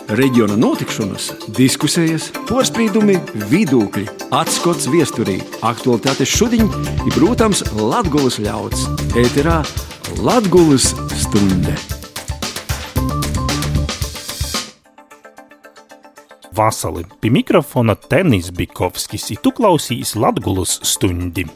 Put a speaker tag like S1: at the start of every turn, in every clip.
S1: Reģiona notikšanas, diskusijas, porspīdumi, vidūkļi, atskots viesturī, aktualitātes šudiņ i, protams, Latgulas ļauds. Ēterā Latgulas stunde.
S2: Vasali, pie mikrofona Tenis Bikovskis, i tu klausīs Latgulas stundi.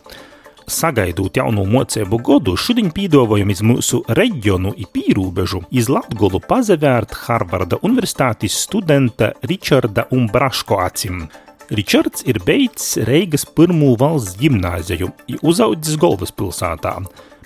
S2: Sagaidot jauno moceibu godu, šodien pīdovojam iz mūsu reģionu i pīrūbežu iz Latgulu pazavērt Harvarda universitātes studenta Ričarda Umbraško acim. Ričards ir beidzis Reigas pirmū valsts ģimnāziju i uzaudzis Golvaspilsātā,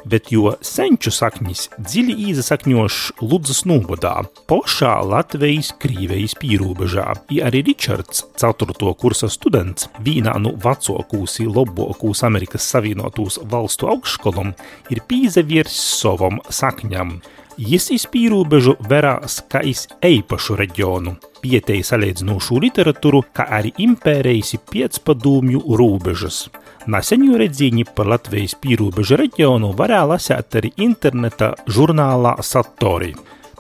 S2: bet jo senču saknis dziļi īsasakņošs Ludzas novadā, pošā Latvijas-Krīvejas pīrūbežā. I arī Ričards, 4. kursa students, vīnā nu vecokūs i lobokūs Amerikas Savienotūs valstu augšskolom, ir pīzaviers sovom sakņam. Jis iz pīrūbežu verās kā iz eipašu reģionu, pietei saleidzinūšu literatūru, kā arī impērijas i piecpadūmju rūbežas. Naseņu redzīņi par Latvijas pīrūbežu reģionu varēja lasēt arī interneta žurnālā Satori,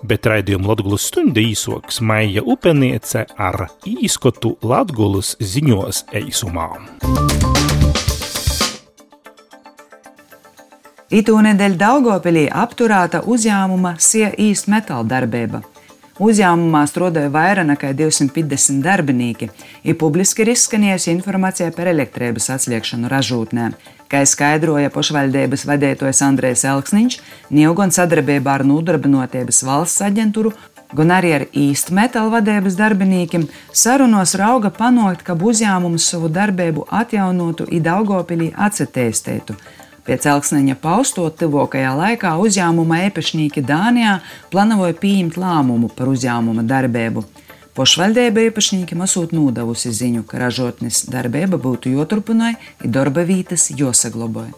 S2: bet raidījumu Latgulas stundi īsoks Maija Upeniece ar īskotu Latgulas ziņos eisumā.
S3: Itūnedēļ Daugavpilī apturēta uzņēmuma SIA East Metal darbība. Uzņēmumā strādāja vairāk nekā 250 darbinīki, i publiski ir izskanējusi informācija par elektrības atslēgšanu ražūtnē. Kā skaidroja pašvaldības vadītājs Andrejs Elksniņš, nav gan sadarbībā ar Nodarbinātības valsts aģentūru, gan arī ar East Metal vadības darbinīkiem sarunos rauga panākt, ka uzņēmums savu darbību atjaunotu i Daugavpilī atsatīstītu. Pēc Elksniņa paustot tuvākajā laikā uzņēmuma īpašnieki Dānijā plānoja pieņemt lēmumu par uzņēmuma darbību. Pašvaldība īpašniekiem esot nodevusi ziņu, ka ražotnes darbība būtu joturpināja i darba vītas josaglabāja.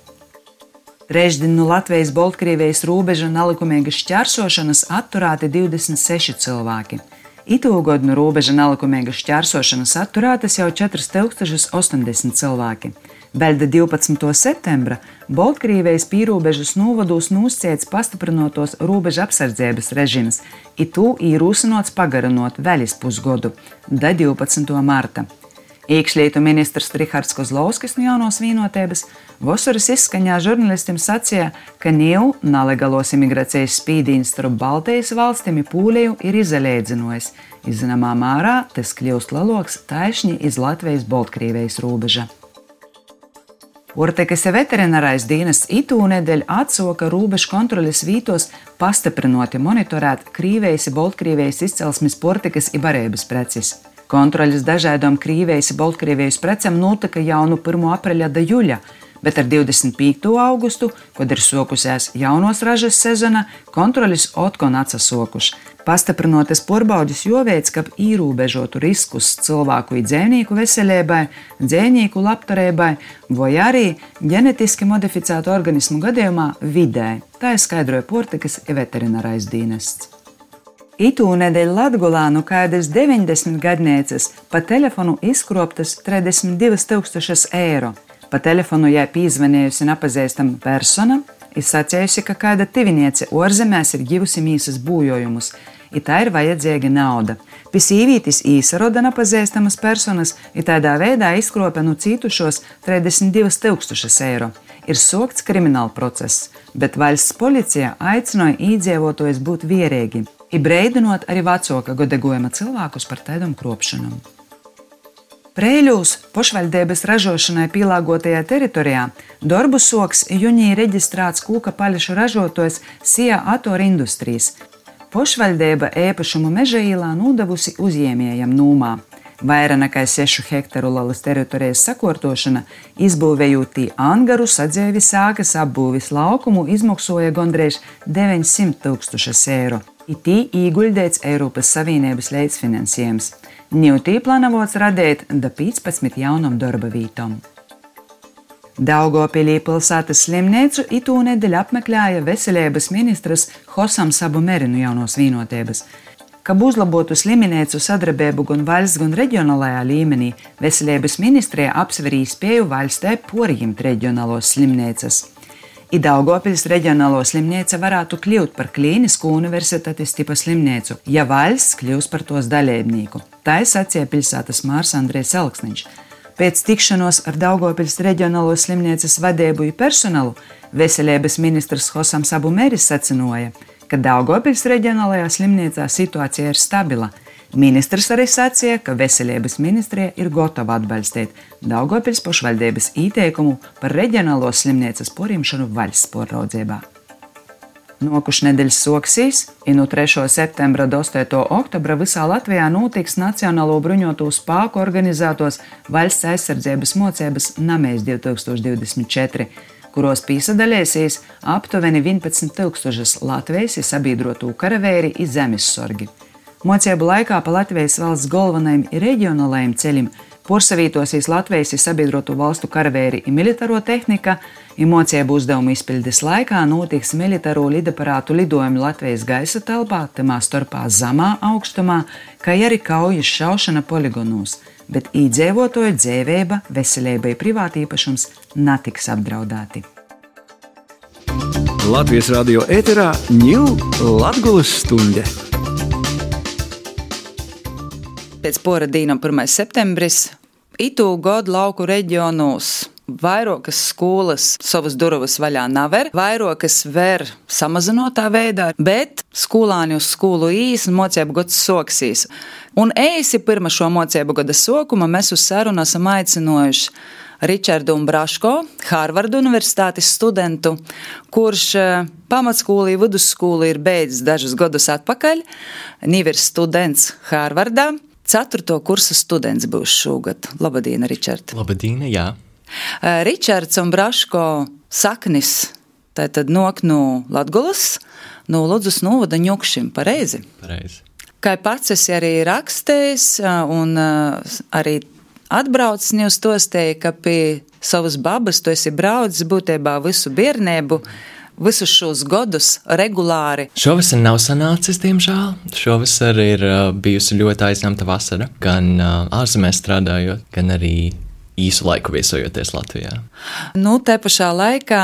S3: Trešdien no Latvijas-Baltkrievijas robeža nelikumīgas šķērsošanas atturēti 26 cilvēki. Itūgod no robeža nelikumīgas šķērsošanas atturētas jau 4080 cilvēki. Beļda 12. septembra Baltkrievijas pīrūbežas novados nūsciets pastiprinotos robeža apsardzības režims, i tū īrūsinots pagarinot vēl iz pusgodu, da 12. marta. Iekšlietu ministrs Rihards Kozlovskis no Jaunos Vīnotības vasaras izskaņā žurnalistiem sacīja, ka nav nelegālos imigrācijas spīdīns starp Baltijas valstīm i Pūliju ir izalēdzinojis. Zināmā mērā tas kļūst leloks taišņi iz Latvijas-Baltkrievijas robeža. Portekas veterinārais dienests itūnedēļ atsoka robežu kontroles vītos pastiprinoti monitorēt Krīvejas i Baltkrievijas izcelsmes portekas i barības preces. Kontroles dažādām Krīvejas i Baltkrievijas precēm notika jau no 1. apreļa da juļa, bet ar 25. augustu, kad ir sokusies jaunos ražas sezona, kontrolis otkon atsasokuši. Pastiprinotas porbaudis joveic, ka īrūbežotu riskus cilvēku i dzēvnieku veselībai, dzēvnieku labturībai vai arī ģenetiski modificētu organismu gadījumā vidē. Tā skaidroja Portekas veterinārais dienests. Itūnedēļ Latgulā no kādas 90 gadnieces pa telefonu izkroptas 32 000 eiro. Pa telefonu jai pīzvanējusi nepazīstama persona, ir sacējusi, ka kāda tiviniece orzemēs ir givusi mīsas būjojumus, i tā ir vajadzīga nauda. Pie sīvītis īsaroda nepazīstamas personas, i tādā veidā izkropa no cītušos 32 000 eiro. Ir sokts krimināla process, bet valsts policija aicināja īdzīvotājus būt vierīgi, i breidinot arī vecāka godegojuma cilvēkus par tādām kropšanām. Preiļūs pašvaldības ražošanai pielāgotajā teritorijā darbu soks junī reģistrēts kūka paļašu ražotājs SIA Atoru Industries. Pašvaldība īpašumu Meža īlā nodevusi uzņēmējam nūmā. Vairāk nekā 6 hektaru lielas teritorijas sakārtošana, izbūvējot tī angaru, sadzēvi sākas apbūvis laukumu, izmaksoja gandrīz 900 000 eiro. I tī īguļdēts Eiropas Savienības līdzfinansējums. Ņūtī plānots radīt da 15 jaunam darba vītom. Daugavpilī pilsētas slimnīcu itūnedēļ apmeklēja veselības ministrs Hosams Abumeri no Jaunos Vīnotības. Kab uzlabotu slimnīcu sadarbību gan valsts, gan reģionālajā līmenī, veselības ministrija apsver iespēju valstī porjimt reģionālos slimnīcas. Daugavpils reģionālo slimnīca varētu kļūt par klīnisku universitātes tipa slimnīcu, ja valsts kļūs par tos daļēbnieku. Tā sacīja pilsētas mārs Andrejs Elksniņš. Pēc tikšanos ar Daugavpils reģionālo slimnīcas vadību un personālu veselības ministrs Hosams Abumeris sacinoja, ka Daugavpils reģionālajā slimnīcā situācija ir stabila. Ministrs arī sacīja, ka veselības ministrija ir gatava atbalstīt Daugavpils pašvaldības ieteikumu par reģionālo slimnīcas porīmšanu valsts pāraudzībā. Nokušas nedēļas soksīs, no 3. septembra do 8. oktobra visā Latvijā notiks Nacionālo bruņoto spēku organizētos valsts aizsardzības mocības Namēs 2024, kuros piesaistīsies aptuveni 11,000 Latvijas sabiedroto karavēri un zemessorgi. Mocību laikā pa Latvijas valsts galvenajiem un reģionālajiem ceļiem porsavītosies Latvijas sabiedroto valstu karavēri un militāro tehnika, un mocību uzdevumu izpildes laikā notiks militāro lidaparātu lidojumi Latvijas gaisa telpā, tamā starpā zemā augstumā, kā arī kaujas šaušana poligonos, bet iedzīvotāju dzīvība, veselība un privātīpašums netiks apdraudēti.
S1: Latvijas radio ēterā ņū Latgulas stunde.
S3: Pēc pora dīnam 1. septembris itū godu lauku reģionos vairākas skolas savas durvis vaļā never, vairākas ver samazinotā veidā, bet skolāni uz skolu īs un mocību gads soksīs. Un eisi pirma šo mocību gada sokuma mēs uz sarunu esam aicinojuši Ričardu Braško, Harvarda universitātes studentu, kurš pamatskolu un vidusskolu ir beidzis dažus gadus atpakaļ, ir students Harvardā. 4. kursa students būs šogad. Labadīna, Ričard.
S4: Labadīna, jā.
S3: Ričards un Braško saknis tātad nok no Latgulas, no Ludzas novada Ņukšim, pareizi?
S4: Pareizi.
S3: Kā pats esi arī rakstējis un arī atbraucis, jūs tostēji, ka pie savas babas tu esi braucis būtībā visu bērnību, visus šos gadus regulāri.
S4: Šovasar nav sanācis, diemžēl. Šovasar ir bijusi ļoti aizņemta vasara, gan ārzemēs strādājot, gan arī īsu laiku viesojoties Latvijā.
S3: Te pašā laikā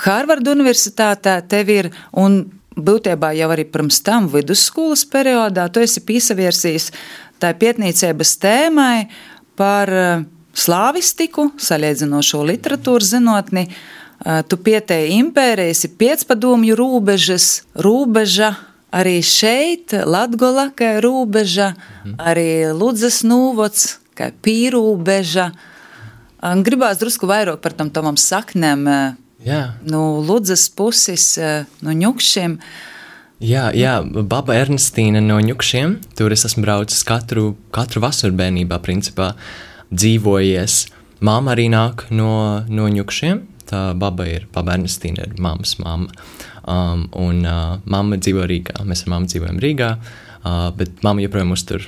S3: Harvarda universitātē tev ir, un būtībā jau arī pirms tam vidusskolas periodā, tu esi piesavirsījis tā pietnīcības tēmai par slāvistiku, salīdzinošo literatūras zinotni. Tu pietēji impērijas, ir piecpadomju rūbeža, arī šeit Latgola, kā rūbeža, arī Ludzas novads, kā pīrūbeža. Gribās drusku vairāk par tam tavam saknēm, no Ludzas puses, no Ņukšiem.
S4: Jā, baba Ernestīna no Ņukšiem, tur es esmu braucis katru vasaru bērnībā, principā, dzīvojies. Māma arī nāk no Ņukšiem. Tā baba Ernestīna ir mammas mamma. Un mamma dzīvo Rīgā. Mēs ar mammu dzīvojam Rīgā, bet mamma joprojām uztur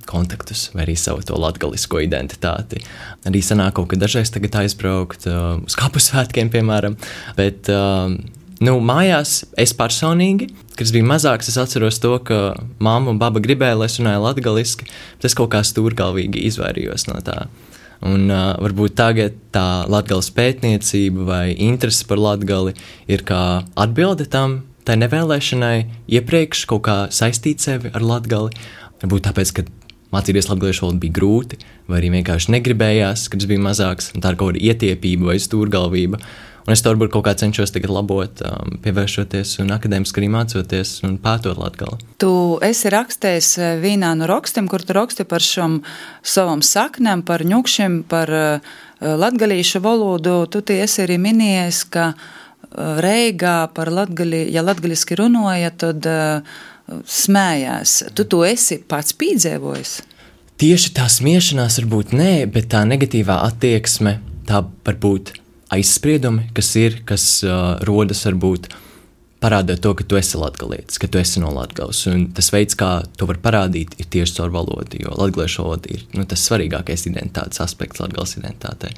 S4: kontaktus vai arī savu to latgalisko identitāti. Arī sanāk kaut kad dažreiz tagad aizbraukt uz Kapusvētkiem, piemēram. Bet mājās es personīgi, kad es biju mazāks, es atceros to, ka mamma un baba gribēja, lai es runāju latgaliski, bet es kaut kā stūrgalvīgi izvairījos no tā. Un varbūt tagad tā latgales pētniecība vai interese par Latgali ir kā atbilde tam, tai nevēlēšanai iepriekš kaut kā saistīt sevi ar Latgali. Varbūt tāpēc, ka mācīties latgaliešu valodu bija grūti, vai arī vienkārši negribējās, kad es biju mazāks, un tā ir kaut kāda ietiepība vai stūrgalvība. Un es to varbūt kaut kā cenšos tagad labot, pievēršoties un akadēmiski arī mācoties un pētot Latgali.
S3: Tu esi rakstējis vienā no rakstiem, kur tu raksti par šom savam saknēm, par Ņukšiem, par latgalīšu valodu. Tu esi arī minējis, ka Reigā par latgali, ja latgaliski runāja, tad smējās. Tu to esi pats piedzīvojis?
S4: Tieši tā smiešanās varbūt nē, bet tā negatīvā attieksme, tā varbūt aizspriedumi, kas rodas varbūt parādot to, ka tu esi latgalietis, ka tu esi no Latgales. Un tas veids, kā to var parādīt, ir tieši caur valodu, jo latgaliešu valoda ir tas svarīgākais identitātes aspekts Latgales identitātei.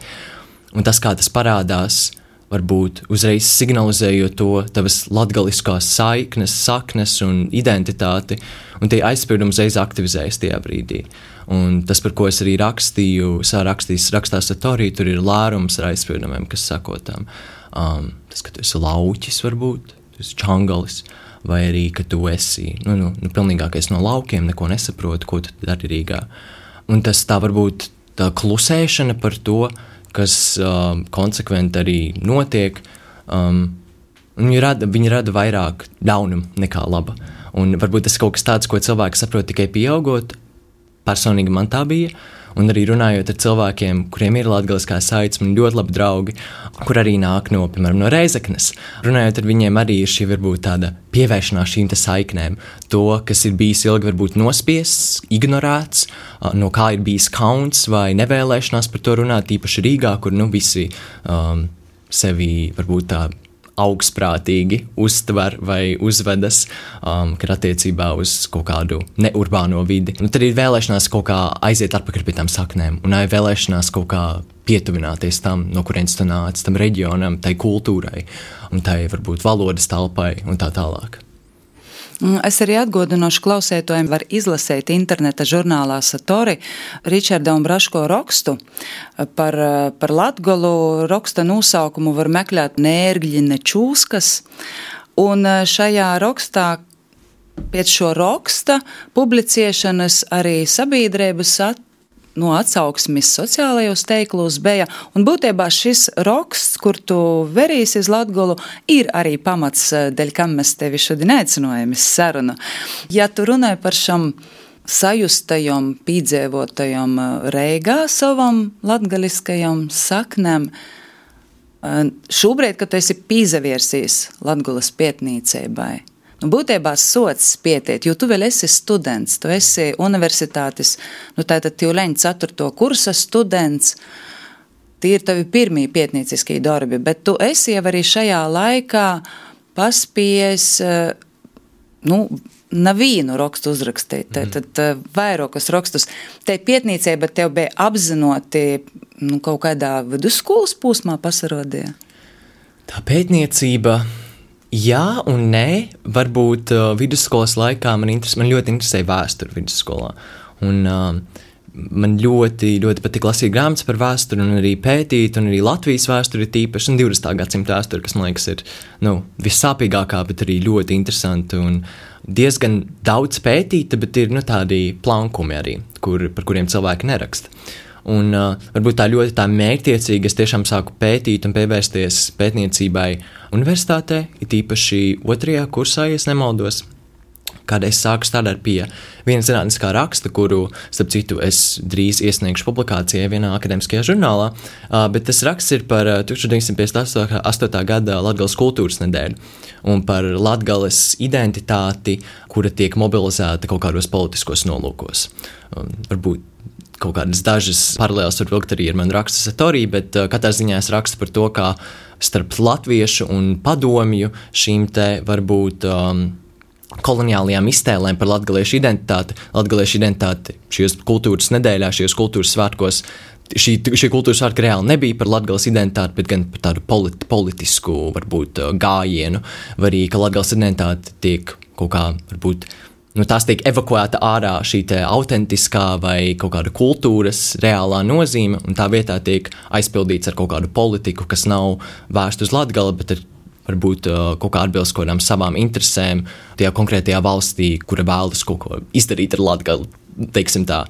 S4: Un tas, kā tas parādās varbūt uzreiz signalizējot to tavas latgaliskās saknes un identitāti, un tie aizspriedumi uzreiz aktivizējas tajā brīdī. Un tas, par ko es arī rakstīju, rakstā Satorī, tur ir lērums ar aizspriedumiem, kas sakotām. Tas, ka tu esi lauķis varbūt, tu esi čangalis, vai arī, ka tu esi pilnīgākais no laukiem, neko nesaproti, ko tu dari Rīgā. Un tas tā varbūt tā klusēšana par to, kas konsekventi arī notiek, viņi rada vairāk ļaunumu nekā laba. Un varbūt tas ir kaut kas tāds, ko cilvēki saprot tikai pieaugot. Personīgi man tā bija, un arī runājot ar cilvēkiem, kuriem ir latgaliskā saites, man ļoti labi draugi, kur arī nāk piemēram, no Reizeknes. Runājot ar viņiem arī ir šī varbūt tāda pievēršanās šīm te saiknēm. To, kas ir bijis ilgi varbūt nospiests, ignorēts, no kā ir bijis kauns vai nevēlēšanās par to runāt, īpaši Rīgā, kur visi sevi varbūt tā augstprātīgi uztver vai uzvedas, kad attiecībā uz kaut kādu neurbāno vidi. Tad ir vēlēšanās kaut kā aiziet atpakaļ pie tām saknēm, un vēlēšanās kaut kā pietuvināties tam, no kurienes tu nāc, tam reģionam, tai kultūrai, un tai varbūt valodas telpai un tā tālāk.
S3: Es arī atgādināšu klausētājiem, var izlasīt interneta žurnālā Satori Ričarda un Braško rakstu par Latgolu. Raksta nosaukumu var meklēt Nērgļi nečūskas, un šajā rakstā pēc šo raksta publicēšanas arī sabiedrības atsauksmes sociālajos teiklos bija, un būtībā šis raksts, kur tu verīsi uz Latgolu, ir arī pamats, dēļ kam mēs tevi šodien aicinājam uz sarunu. Ja tu runāji par šam sajustajam, pīdzēvotajam Reigā savam latgaliskajam saknēm, šobrīd, kad tu esi pīzaviersīs Latgolas pietnīceibai, būtībā sots pietiet, jo tu vēl esi students, tu esi universitātes, tātad Tīuleņa 4. kursa students, tie ir tavi pirmie pietnīciskie darbi, bet tu esi jau arī šajā laikā paspējis, nevienu rakstu uzrakstīt, tad vairākus rakstus. Te pietnīcē, bet tev bija apzinoti kaut kādā vidusskolas posmā pasarodīja?
S4: Tā pētniecība... Jā un nē, varbūt vidusskolas laikā man ļoti interesēja vēsture vidusskolā. Un man ļoti patika lasīt grāmatas par vēsturi un arī pētīt, un arī Latvijas vēsturi tīpaši, un 20. gadsimta vēsturi, kas, man liekas, ir vissāpīgākā, bet arī ļoti interesanti un diezgan daudz pētīta, bet ir tādi plankumi arī, par kuriem cilvēki neraksta. Un varbūt tā ļoti mērķtiecīgi es tiešām sāku pētīt un pievērsties pētniecībai universitātē, it īpaši 2. kursā, ja nemaldos, kad es sāku strādāt pie viena zinātniskā raksta, kuru, starp citu, es drīz iesniegšu publikācijai vienā akademiskajā žurnālā, bet tas raksts ir par 1958. gada Latgales kultūras nedēļu un par Latgales identitāti, kura tiek mobilizēta kaut kādos politiskos nolūkos. Varbūt kaut kādas dažas paralēlas var vilkt arī ar manu rakstu Satorī, bet katrā ziņā es rakstu par to, kā starp latviešu un padomju šīm te varbūt koloniālajām iztēlēm par latgaliešu identitāti šajos kultūras nedēļā, šajos kultūras svētkos. Šie kultūras svētki reāli nebija par Latgales identitāti, bet gan par tādu politisku, varbūt, gājienu, vai arī, ka Latgales identitāte tiek kaut kā, varbūt, tās tiek evakuēta ārā šī te autentiskā vai kaut kāda kultūras reālā nozīme, un tā vietā tiek aizpildīts ar kaut kādu politiku, kas nav vērsta uz Latgali, bet ir varbūt kaut kā atbilst kaut kādām savām interesēm tajā konkrētajā valstī, kura vēlas kaut ko izdarīt ar Latgali, teiksim tā.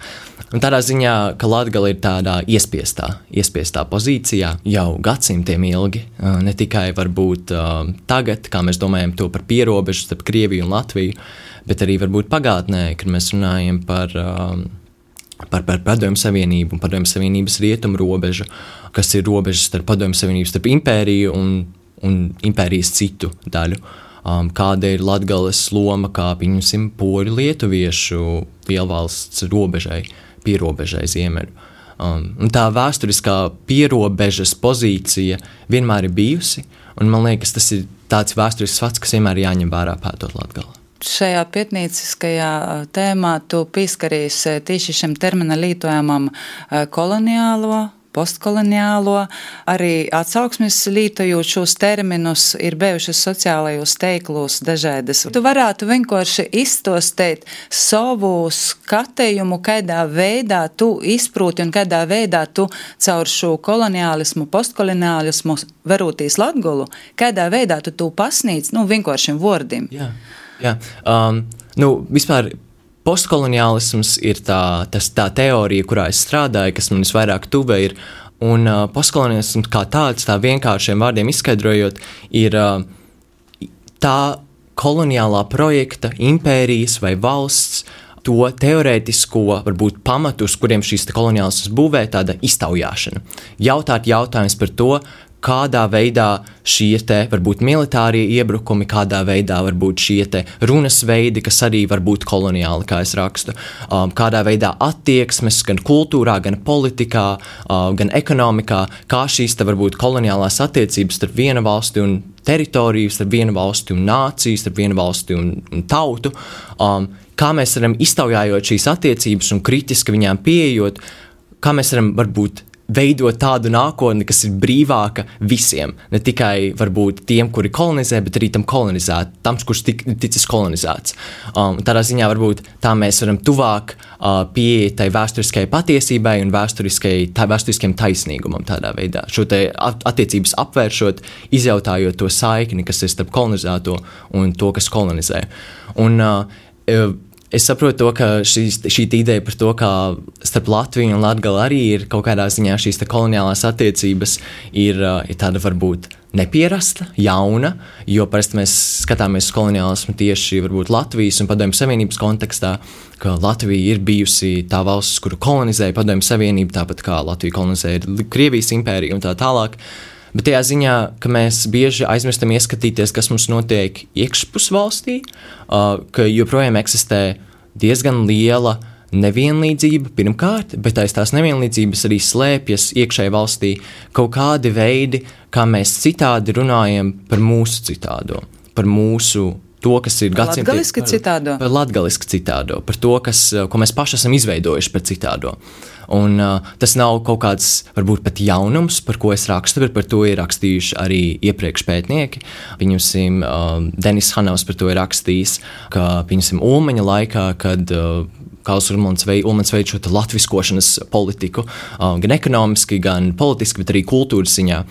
S4: Un tādā ziņā, ka Latgale ir tādā iespiestā pozīcijā jau gadsimtiem ilgi, ne tikai varbūt tagad, kā mēs domājam to par pierobežu starp Krieviju un Latviju, bet arī varbūt pagātnē, kad mēs runājam par Padomju Savienību un Padomju Savienības rietumu robežu, kas ir robežas starp Padomju Savienību, starp impēriju un impērijas citu daļu. Kāda ir Latgales loma, kā pieņemsim poļu lietuviešu lielvalsts robežai, pierobežai ziemeļu. Un tā vēsturiskā pierobežas pozīcija vienmēr ir bijusi, un man liekas, tas ir tāds vēsturisks fakts, kas vienmēr jāņem vērā pētot Latgali.
S3: Šajā pietnīciskajā tēmā tu pieskaries tieši šim termina lietojamam koloniālo postkoloniālo, arī atsauksmes lietojot šos terminus, ir bijušas sociālajos teiklos dažādas. Tu varētu vienkārši izstostēt savu skatījumu, kādā veidā tu izprūti un kādā veidā tu caur šo koloniālismu, postkoloniālismu verūtīs Latgolu, kādā veidā tu pasnīc, vienkāršiem vārdiem.
S4: Jā. Vispār postkoloniālisms ir tā teorija, kurā es strādāju, kas man visvairāk tuva ir, un postkoloniālisms kā tāds, tā vienkāršiem vārdiem izskaidrojot, ir tā koloniālā projekta, impērijas vai valsts, to teorētisko, varbūt pamatus, kuriem šīs koloniālisms būvē, tāda iztaujāšana. Jautāt jautājums par to, kādā veidā šie varbūt militārie iebrukumi, kādā veidā varbūt šie runas veidi, kas arī var būt koloniāli, kā es rakstu, kādā veidā attieksmes gan kultūrā, gan politikā, gan ekonomikā, kā šīs varbūt koloniālās attiecības starp viena valsti un teritoriju, starp viena valsti un nāciju, starp viena valsti un tautu, kā mēs varam iztaujājot šīs attiecības un kritiski viņām pieejot, kā mēs varam varbūt veidot tādu nākotni, kas ir brīvāka visiem, ne tikai varbūt tiem, kuri kolonizē, bet arī tam kolonizēt, tam, kurš ticis kolonizēts. Tādā ziņā varbūt tā mēs varam tuvāk pieeja tai vēsturiskai patiesībai un vēsturiskiem taisnīgumam tādā veidā. Šo te attiecības apvēršot, izjautājot to saikni, kas ir starp kolonizēto un to, kas kolonizē. Un es saprotu to, ka šī ideja par to, ka starp Latviju un Latgali arī ir kaut kādā ziņā šīs koloniālās attiecības ir tāda varbūt nepierasta, jauna, jo parasti mēs skatāmies uz koloniālismu tieši varbūt Latvijas un Padomju Savienības kontekstā, ka Latvija ir bijusi tā valsts, kuru kolonizēja Padomju Savienība, tāpat kā Latvija kolonizēja Krievijas impēriju un tā tālāk. Bet tajā ziņā, ka mēs bieži aizmirstam ieskatīties, kas mums notiek iekšpus valstī, ka joprojām eksistē diezgan liela nevienlīdzība pirmkārt, bet aiz tās nevienlīdzības arī slēpjas iekšēji valstī kaut kādi veidi, kā mēs citādi runājam par mūsu citādo, par mūsu to, kas ir gadsimtiem. Par latgaliski citādo, par to, ko mēs paši esam izveidojuši par citādo. Un tas nav kaut kāds, varbūt pat jaunums, par ko es rakstu, bet par to ir rakstījuši arī iepriekš pētnieki. Pieņemsim, Denis Hanovs par to ir rakstījis, ka, pieņemsim, Ulmaņa laikā, kad Karls Ulmans veid šo latviskošanas politiku, gan ekonomiski, gan politiski, bet arī kultūras ziņā,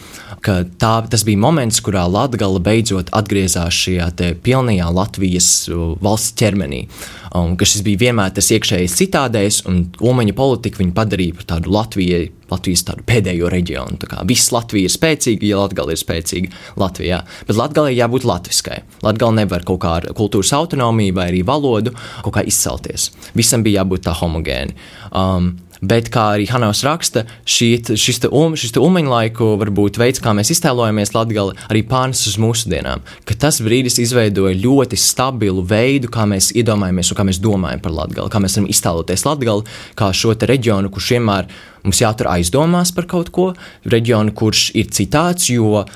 S4: ka tas bija moments, kurā Latgala beidzot atgriezās šajā pilnajā Latvijas valsts ķermenī. Ka šis bija vienmēr tas iekšējais citādējs, un Ulmaņa politika viņu padarīja par tādu Latvijas tādu pēdējo reģionu. Tā kā viss Latvija ir spēcīga, ja Latgala ir spēcīga Latvijā. Bet Latgalai jābūt latviskai. Latgala nevar kaut kā ar kultūras autonomiju vai arī valodu kaut kā izcelties. Visam bija jābūt tā homogēni. Bet, kā arī Hanovs raksta, šis Ulmaņa laiku varbūt veids, kā mēs iztēlojamies Latgali, arī pārnes uz mūsdienām, ka tas brīdis izveidoja ļoti stabilu veidu, kā mēs iedomājamies un kā mēs domājam par Latgali, kā mēs varam iztēloties Latgali, kā šo te reģionu, kurš vienmēr mums jātur aizdomās par kaut ko, reģionu, kurš ir citāds, jo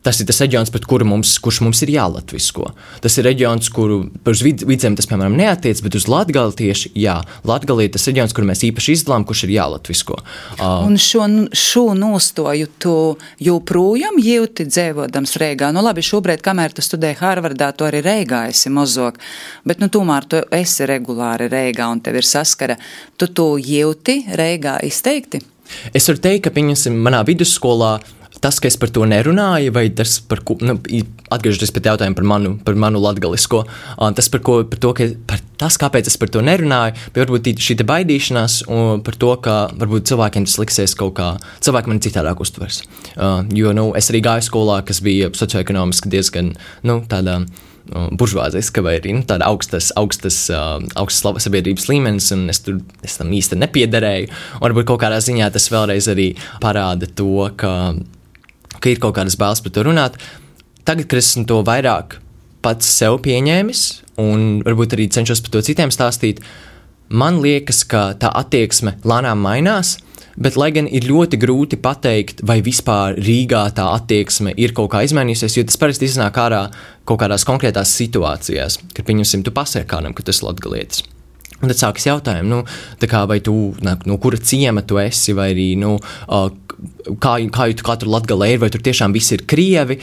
S4: tas ir tas reģions, kurš mums ir jālatvisko. Tas ir reģions, kuru uz vidzemi tas, piemēram, neatiec, bet uz Latgali tieši, jā. Latgali ir tas reģions, kuru mēs īpaši izdalām, kurš ir jālatvisko.
S3: Un šo nostoju tu joprojām jūti dzīvodams Reigā. Labi, šobrīd, kamēr tu studēji Harvardā, tu arī Reigā esi mozog, bet tomēr tu esi regulāri Reigā un tev ir saskara. Tu jūti Reigā izteikti?
S4: Es varu teikt, ka, pieņemsim, manā vidusskolā tas, ka es par to nerunāju, vai tas, atgriežoties pie jautājuma par manu latgalisko, tas, kāpēc es par to nerunāju, bet varbūt šī te baidīšanās par to, ka varbūt cilvēkiem tas liksies kaut kā, cilvēki mani citādāk uztvers. Jo, es arī gāju skolā, kas bija socioekonomiski diezgan, tādā buržvāziska vai arī tāda augstas sabiedrības līmenis, un es tam īsti nepiederēju. Un varbūt kaut kādā ziņā tas vēlreiz arī parāda to, ka ir kaut kādas bailes par to runāt. Tagad, kad esmu to vairāk pats sev pieņēmis un varbūt arī cenšos par to citiem stāstīt, man liekas, ka tā attieksme lēnām mainās, bet lai gan ir ļoti grūti pateikt, vai vispār Rīgā tā attieksme ir kaut kā izmainījusies, jo tas parasti iznāk ārā kaut kādās konkrētās situācijās, kad, pieņemsim, tu pasaki kādam, ka tu esi latgalietis. Un tad sākas jautājumi, tā kā vai tu, no kura ciema tu esi, vai arī, kā tu katru Latgalē ir, vai tur tiešām visi ir krievi,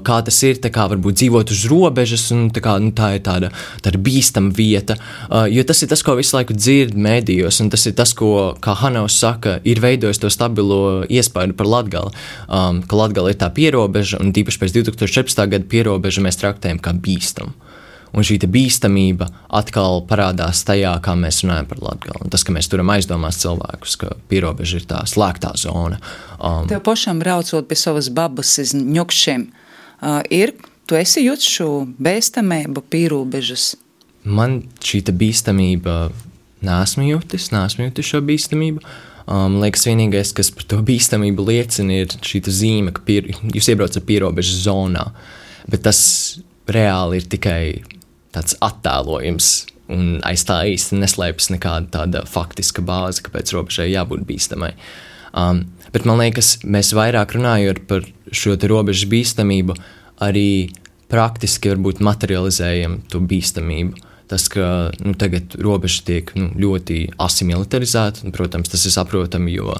S4: kā tas ir, tā kā varbūt dzīvot uz robežas, un tā ir tāda bīstama vieta, jo tas ir tas, ko visu laiku dzird mēdījos, un tas ir tas, ko, kā Hanaus saka, ir veidojis to stabilo iespaidu par Latgali, ka Latgala ir tā pierobeža, un tīpaši pēc 2014. Gada pierobeža mēs traktējam kā bīstamu. Un šī bīstamība atkal parādās tajā, kā mēs runājam par Latgali. Un tas, ka mēs turam aizdomās cilvēkus, ka pierobeža ir tā slēgtā zona.
S3: Tev pašam braucot pie savas babas iz Ņukšiem, tu esi jūtis šo bīstamību pierobežas?
S4: Man šī bīstamība neesmu jūtis šo bīstamību. Liekas, vienīgais, kas par to bīstamību liecina, ir šī zīme, ka jūs iebraucat pierobežas zonā. Bet tas reāli ir tikai tāds attēlojums, un aiz tā īsti neslēpjas nekāda tāda faktiska bāze, kāpēc robežai jābūt bīstamai. Bet man liekas, mēs vairāk runājot par šo robežas bīstamību, arī praktiski varbūt materializējam to bīstamību. Tas, ka tagad robeža tiek ļoti asimilitarizēta, un, protams, tas ir saprotami, jo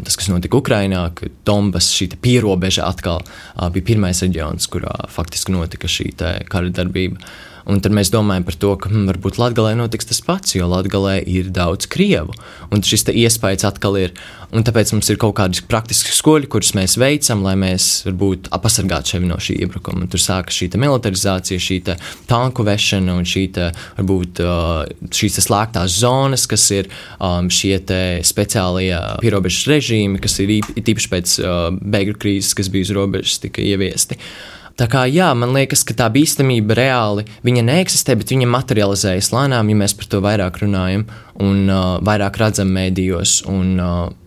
S4: tas, kas notika Ukrainā, ka Donbass, šī pierobeža atkal bija pirmais reģions, kurā faktiski notika šī kara darbība. Un tad mēs domājam par to, ka varbūt Latgalē notiks tas pats, jo Latgalē ir daudz krievu. Un šis iespējas atkal ir. Un tāpēc mums ir kaut kādi praktiski skoļi, kurus mēs veicam, lai mēs varbūt pasargātu sevi no šī iebrukuma. Un tur sākas šī militarizācija, šī tanku vešana un varbūt šīs slēgtās zonas, kas ir šie speciālie pierobežas režīmi, kas ir īpaši pēc bēgļu krīzes, kas bija uz robežas, tika ieviesti. Tā kā jā, man liekas, ka tā bīstamība reāli, viņa neeksistē, bet viņa materializējas lēnām, ja mēs par to vairāk runājam un vairāk redzam mēdījos un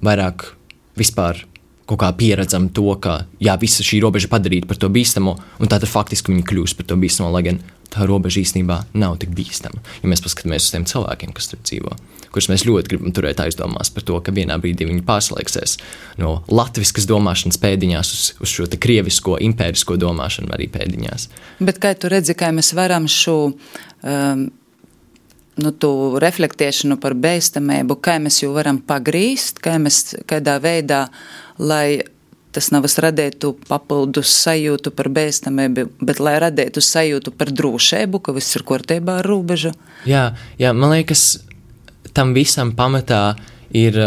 S4: vairāk vispār kaut kā pieredzam to, ka jā, visa šī robeža padarīta par to bīstamo, un tātad faktiski viņa kļūst par to bīstamo, lai gan tā robeža īstenībā nav tik bīstama. Ja mēs paskatāmies uz tiem cilvēkiem, kas tur dzīvo, kurus mēs ļoti gribam turēt aizdomās par to, ka vienā brīdī viņi pārslēgsies no latviskas domāšanas pēdiņās uz šo krievisko, impērisko domāšanu arī pēdiņās.
S3: Bet kā tu redzi, kā mēs varam šo tu reflektēšanu par bīstamību, kā mēs jau varam pagrīst, kādā veidā, lai tas nav radītu papildus sajūtu par bīstamību, bet lai radītu sajūtu par drošību, ka viss ir kārtībā ar robežu.
S4: Jā, man liekas, tam visam pamatā ir,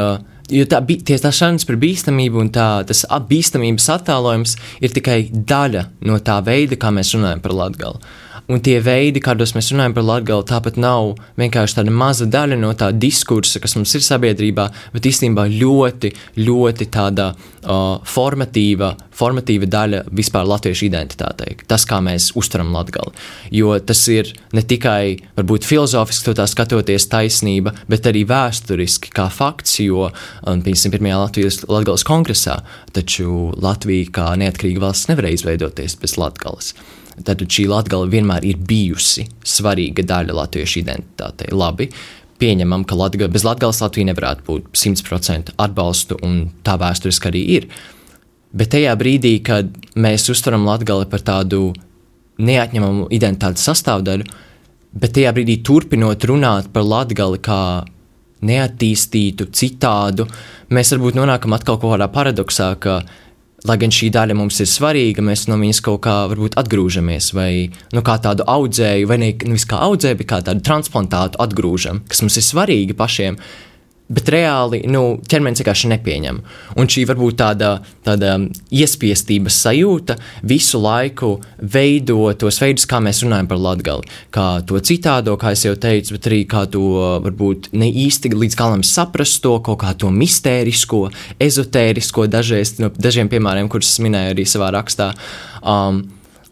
S4: jo tā sarunas par bīstamību un tas bīstamības attēlojums ir tikai daļa no tā veida, kā mēs runājam par Latgali. Un tie veidi, kādos mēs runājam par Latgali, tāpat nav vienkārši tāda maza daļa no tā diskursa, kas mums ir sabiedrībā, bet īstenībā ļoti, ļoti tāda formatīva daļa vispār latviešu identitātei. Tas, kā mēs uztveram Latgali. Jo tas ir ne tikai, varbūt filozofiski to tā skatoties taisnība, bet arī vēsturiski kā fakts, jo 51. Latgales kongresā, taču Latvija kā neatkarīga valsts nevarēja izveidoties bez Latgales. Tātad šī Latgale vienmēr ir bijusi svarīga daļa latviešu identitātei. Labi, pieņemam, ka bez Latgales Latvija nevarētu būt 100% atbalstu, un tā vēsturiski arī ir. Bet tajā brīdī, kad mēs uztveram Latgali par tādu neatņemamu identitātes sastāvdaļu, bet tajā brīdī turpinot runāt par Latgali kā neattīstītu, citādu, mēs varbūt nonākam atkal kaut kādā paradoksā, ka lai gan šī daļa mums ir svarīga, mēs no viņas kaut kā varbūt atgrūžamies, vai kā tādu audzēju, vai nevis kā audzēju, bet kā tādu transplantātu atgrūžam, kas mums ir svarīgi pašiem, bet reāli ķermenis vienkārši nepieņem. Un šī varbūt tāda iespiestības sajūta visu laiku veido tos veidus, kā mēs runājam par Latgali. Kā to citādo, kā es jau teicu, bet arī kā to varbūt ne īsti līdz galam saprast to, kaut kā to mistērisko, ezotērisko, dažiem piemēriem, kurus es minēju arī savā rakstā.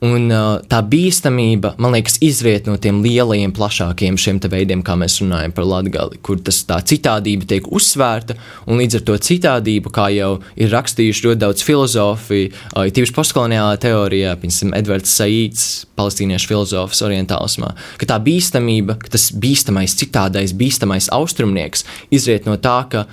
S4: Un tā bīstamība, man liekas, izriet no tiem lielajiem, plašākiem šiem te veidiem, kā mēs runājam par Latgali, kur tā citādība tiek uzsvērta, un līdz ar to citādību, kā jau ir rakstījuši ļoti daudz filozofi, tīpaši postkoloniālā teorijā, piemēram, Edvards Saīds, palestīniešu filozofs orientālismā, ka tā bīstamība, ka tas bīstamais citādais, bīstamais austrumnieks izriet no tā, ka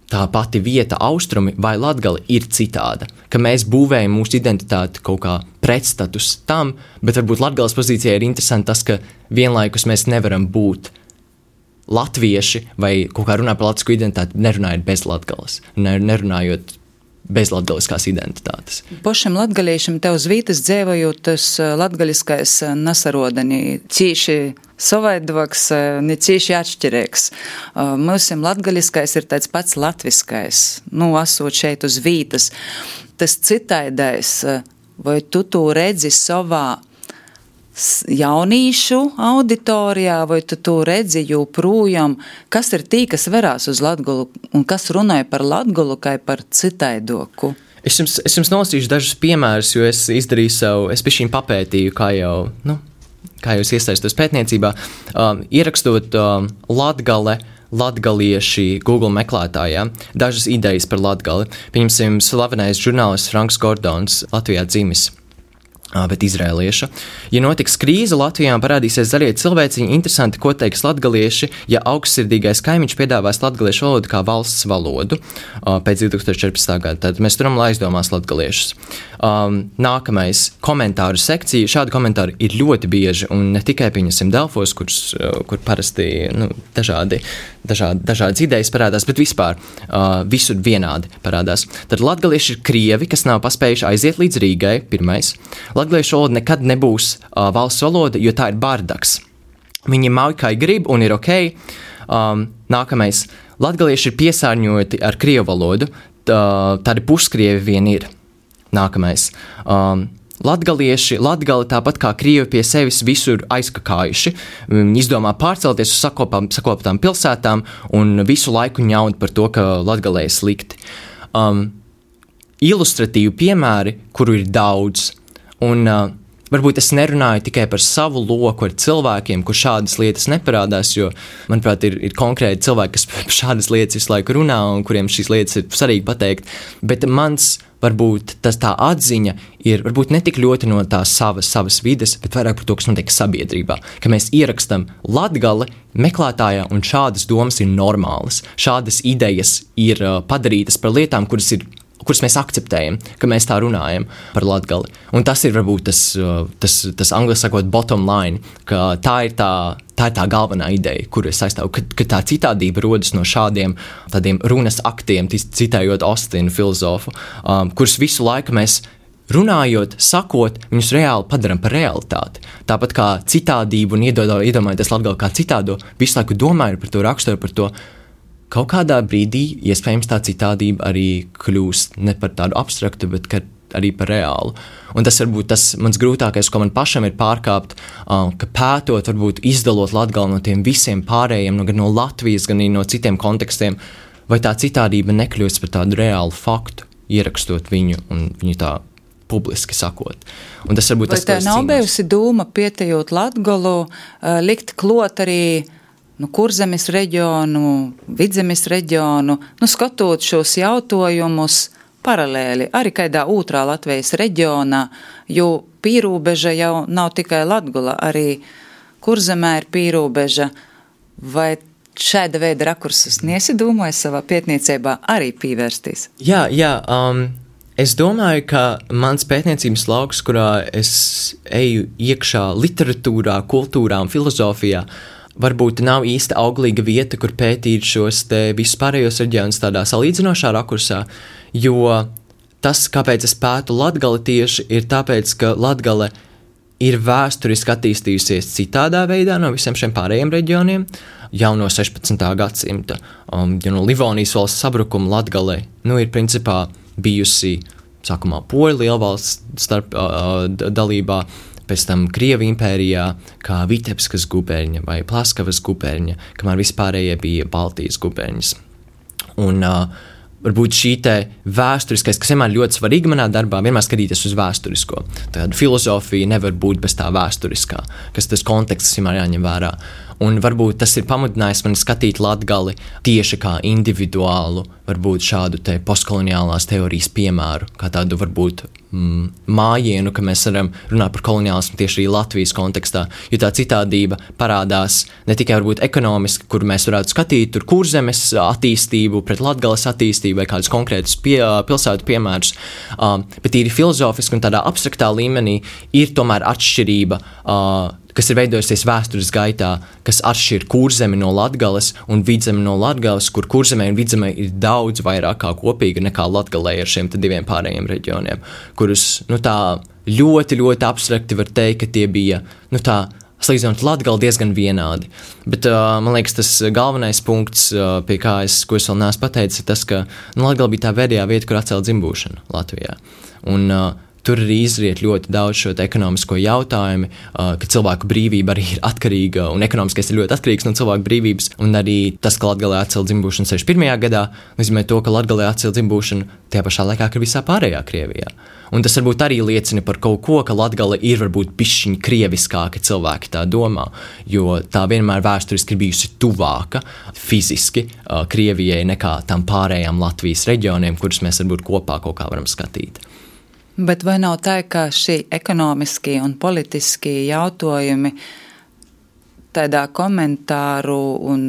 S4: tā pati vieta austrumi vai Latgali ir citāda, ka mēs būvējam mūsu identitāti kaut kā pretstatus tam, bet varbūt Latgales pozīcijā ir interesanti tas, ka vienlaikus mēs nevaram būt latvieši vai kaut kā runā par latvisku identitāti, nerunājot bez latgales, nerunājot bez latgaliskās identitātes.
S3: Pašam latgaliešam te uz vītas dzēvojot, tas latgaliskais nesaroda ni cīši savaidoks, ne cīši atšķirīgs. Mūsim latgaliskais ir tāds pats latviskais, esot šeit uz vītas. Tas citaidais, vai tu to redzi savā jaunīšu auditorijā, vai tu to redzi joprojām, kas ir tī, kas verās uz Latgolu un kas runāja par Latgolu kā par citaidoku?
S4: Es jums nolasīšu dažus piemērus, jo es izdarīju savu, es bišķiņ papētīju, kā jau es iesaistos pētniecībā, ierakstot Latgale, latgalieši Google meklētājā, dažas idejas par Latgali. Pieņemsim, slavenais žurnālists Franks Gordons, Latvijā dzimis, bet izrēlieša. Ja notiks krīze Latvijā un parādīsies zaļie cilvēciņi, interesanti, ko teiks latgalieši, ja augstsirdīgais kaimiņš piedāvās latgaliešu valodu kā valsts valodu pēc 2014. gada. Tad mēs turam, lai aizdomās latgaliešus. Nākamais komentāru sekcija. Šādi komentāri ir ļoti bieži un ne tikai pieņemsim Delfos, kur parasti dažādas idejas parādās, bet vispār visur vienādi parādās. Tad latgalieši ir krievi, kas nav paspējuši aiziet līdz Rīgai, pirmais. Latgaliešu valoda nekad nebūs valsts valoda, jo tā ir bardaks. Viņi mauj kā grib un ir ok. Nākamais. Latgalieši ir piesārņoti ar krievu valodu, tādi puskrievi vien ir. Nākamais. Latgali tāpat kā krievi pie sevis visur aizkakājuši, izdomā pārcelties uz sakoptām pilsētām un visu laiku ņaud par to, ka Latgalē ir slikti. Ilustratīvi piemēri, kuru ir daudz. Un varbūt es nerunāju tikai par savu loku ar cilvēkiem, kur šādas lietas neparādās, jo, manuprāt, ir konkrēti cilvēki, kas par šādas lietas visu laiku runā un kuriem šīs lietas ir svarīgi pateikt. Bet mans, varbūt, tā atziņa ir varbūt ne tik ļoti no tās savas vides, bet vairāk par to, kas notiek sabiedrībā. Ka mēs ierakstam Latgali meklētājā un šādas domas ir normālas. Šādas idejas ir padarītas par lietām, kuras mēs akceptējam, ka mēs tā runājam par Latgali. Un tas ir varbūt tas angliski sakot bottom line, ka tā ir tā galvenā ideja, kuru es aizstāvu, ka tā citādība rodas no šādiem tādiem runas aktiem, citējot Ostinu filozofu, kurus visu laiku mēs runājot, sakot, viņus reāli padaram par realitāti. Tāpat kā citādību un iedomājoties Latgali kā citādo, visu laiku domāju par to, rakstoju par to. Kaut kādā brīdī, iespējams, tā citādība arī kļūst ne par tādu abstraktu, bet arī par reālu. Un tas varbūt tas mans grūtākais, ko man pašam ir pārkāpt, ka pētot, varbūt izdalot Latgali no tiem visiem pārējiem, gan no Latvijas, gan no citiem kontekstiem, vai tā citādība nekļūst par tādu reālu faktu, ierakstot viņu un viņu tā publiski sakot. Un tas varbūt tas, ko es cīnos. Vai tā nav bijusi doma
S3: pietejot Latgalu, likt klot arī Kurzemes reģionu, Vidzemes reģionu, skatot šos jautājumus paralēli, arī kādā otrā Latvijas reģionā, jo pīrūbeža jau nav tikai Latgala, arī Kurzemē ir pīrūbeža. Vai šāda veida rakursus neiedomājas savā pētniecībā arī pievērsties?
S4: Jā, es domāju, ka mans pētniecības lauks, kurā es eju iekšā literatūrā, kultūrā un filozofijā, varbūt nav īsta auglīga vieta, kur pētīt šos te vispārējos reģionus tādā salīdzinošā rakursā, jo tas, kāpēc es pētu Latgali tieši, ir tāpēc, ka Latgale ir vēsturiski attīstījusies citādā veidā no visiem šiem pārējiem reģioniem, jau no 16. gadsimta, jo no Livonijas valsts sabrukuma Latgale, ir principā bijusi, sākumā Poļu lielvalsts starp dalībā, pēc tam Krievu impērijā, kā Vitebskas guberņa vai Plaskavas guberņa, kamēr vispārējie bija Baltijas guberņas. Un varbūt šī te vēsturiskais, kas vienmēr ļoti svarīga manā darbā, vienmēr skatīties uz vēsturisko. Tāda filozofija nevar būt bez tā vēsturiskā, kas tas konteksts vienmēr jāņem vērā. Un varbūt tas ir pamudinājis mani skatīt Latgali tieši kā individuālu, varbūt šādu te postkoloniālās teorijas piemēru, kā tādu varbūt mājienu, ka mēs varam runāt par koloniālismu tieši arī Latvijas kontekstā, jo tā citādība parādās ne tikai varbūt ekonomiski, kur mēs varētu skatīt tur Kurzemes attīstību, pret Latgales attīstību vai kādus konkrētus pilsētu piemērus, bet tīri filozofiski un tādā abstraktā līmenī ir tomēr atšķirība, kas ir veidojusies vēstures gaitā, kas atšķir Kurzemi no Latgales un Vidzemi no Latgales, kur Kurzemē un Vidzemē ir daudz vairāk kā kopīga nekā Latgalē ar šiem diviem pārējiem reģioniem, kurus, tā ļoti, ļoti abstrakti var teikt, ka tie bija, tā salīdzinot Latgali diezgan vienādi. Bet man liekas, tas galvenais punkts, pie ko es vēl neesmu pateicis, ir tas, ka Latgali bija tā pēdējā vieta, kur atcēla dzimbūšanu Latvijā. Un tur arī izriet ļoti daudz šo ekonomisko jautājumu, ka cilvēku brīvība arī ir atkarīga, un ekonomiskais ir ļoti atkarīgs no cilvēku brīvības, un arī tas, ka Latgalē atcēla dzimbūšanu 61. gadā, nozīmē to, ka Latgalē atcēla dzimbūšanu tajā pašā laikā, kā visā pārējā Krievijā. Un tas varbūt arī liecina par kaut ko, ka Latgale ir varbūt bišķiņ krieviskāka, cilvēki tā domā, jo tā vienmēr vēsturiski ir bijusi tuvāka fiziski Krievijai nekā tam pārējām Latvijas reģioniem, kurus mēs varbūt kopā kaut kā varam skatīt.
S3: Bet vai nav tā, ka šī ekonomiskie un politiskie jautājumi tādā komentāru un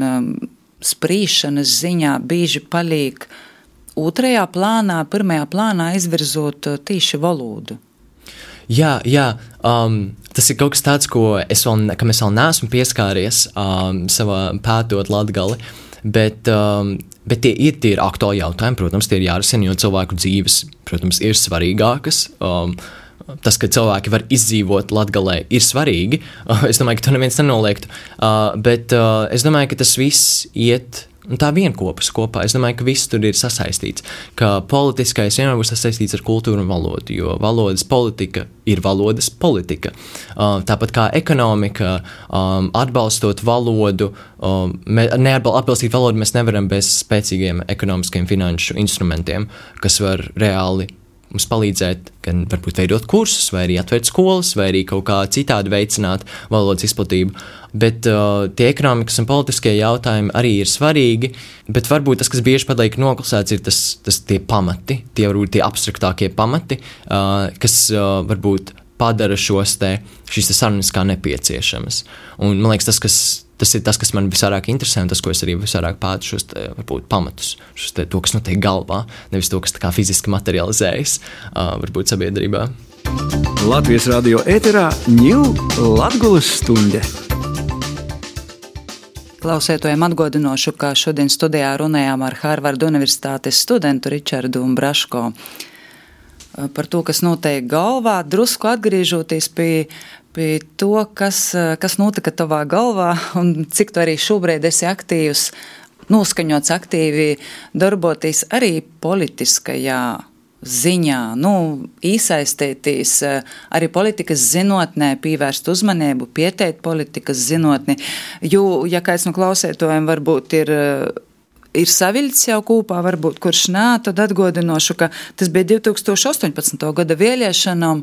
S3: sprīšanas ziņā bieži paliek otrajā plānā, pirmajā plānā izvirzot tīši valodu?
S4: Jā, tas ir kaut kas tāds, kam es vēl neesmu pieskāries savā pētot Latgali, bet tie ir aktuāli jautājumi, protams, tie ir jārisina, jo cilvēku dzīves, protams, ir svarīgākas. Tas, ka cilvēki var izdzīvot Latgalē, ir svarīgi. Es domāju, ka to neviens nenoliektu, bet es domāju, ka tas viss iet tā vienkopas kopā. Es domāju, ka viss tur ir sasaistīts, ka politiskais vienmēr būs sasaistīts ar kultūru un valodu, jo valodas politika ir valodas politika. Tāpat kā ekonomika, atbalstot valodu, atbalstīt valodu mēs nevaram bez spēcīgiem ekonomiskiem finanšu instrumentiem, kas var reāli mums palīdzēt gan varbūt veidot kursus, vai arī atvērt skolas, vai arī kaut kā citādi veicināt valodas izplatību. Bet tie ekonomikas un politiskie jautājumi arī ir svarīgi, bet varbūt tas, kas bieži paliek noklusēts, ir tie pamati, tie abstraktākie pamati, kas varbūt padara šīs sarunas kā nepieciešamas. Un man liekas, tas ir tas, kas man visvairāk interesē, un tas, ko es arī visvairāk pētu šos varbūt pamatus, to, kas notiek galvā, nevis to, kas tā kā fiziski materializējas, varbūt sabiedrībā.
S1: Latvijas radio ēterā ņū Latgulas stunde.
S3: Klausētojiem atgādināšu, ka šodien studijā runājām ar Harvarda Universitātes studentu Ričardu Braško par to, kas notiek galvā, drusku atgriežoties pie to, kas notika tavā galvā un cik tu arī šobrīd esi aktīvs, noskaņots aktīvi darboties arī politiskajā ziņā, iesaistīties arī politikas zinātnē, pievērst uzmanību, pieteikt politikas zinātni, jo, ja kāds no klausētojiem varbūt ir saviļts jau kopā, varbūt kurš nē, tad atgādināšu, ka tas bija 2018. gada vēlēšanām,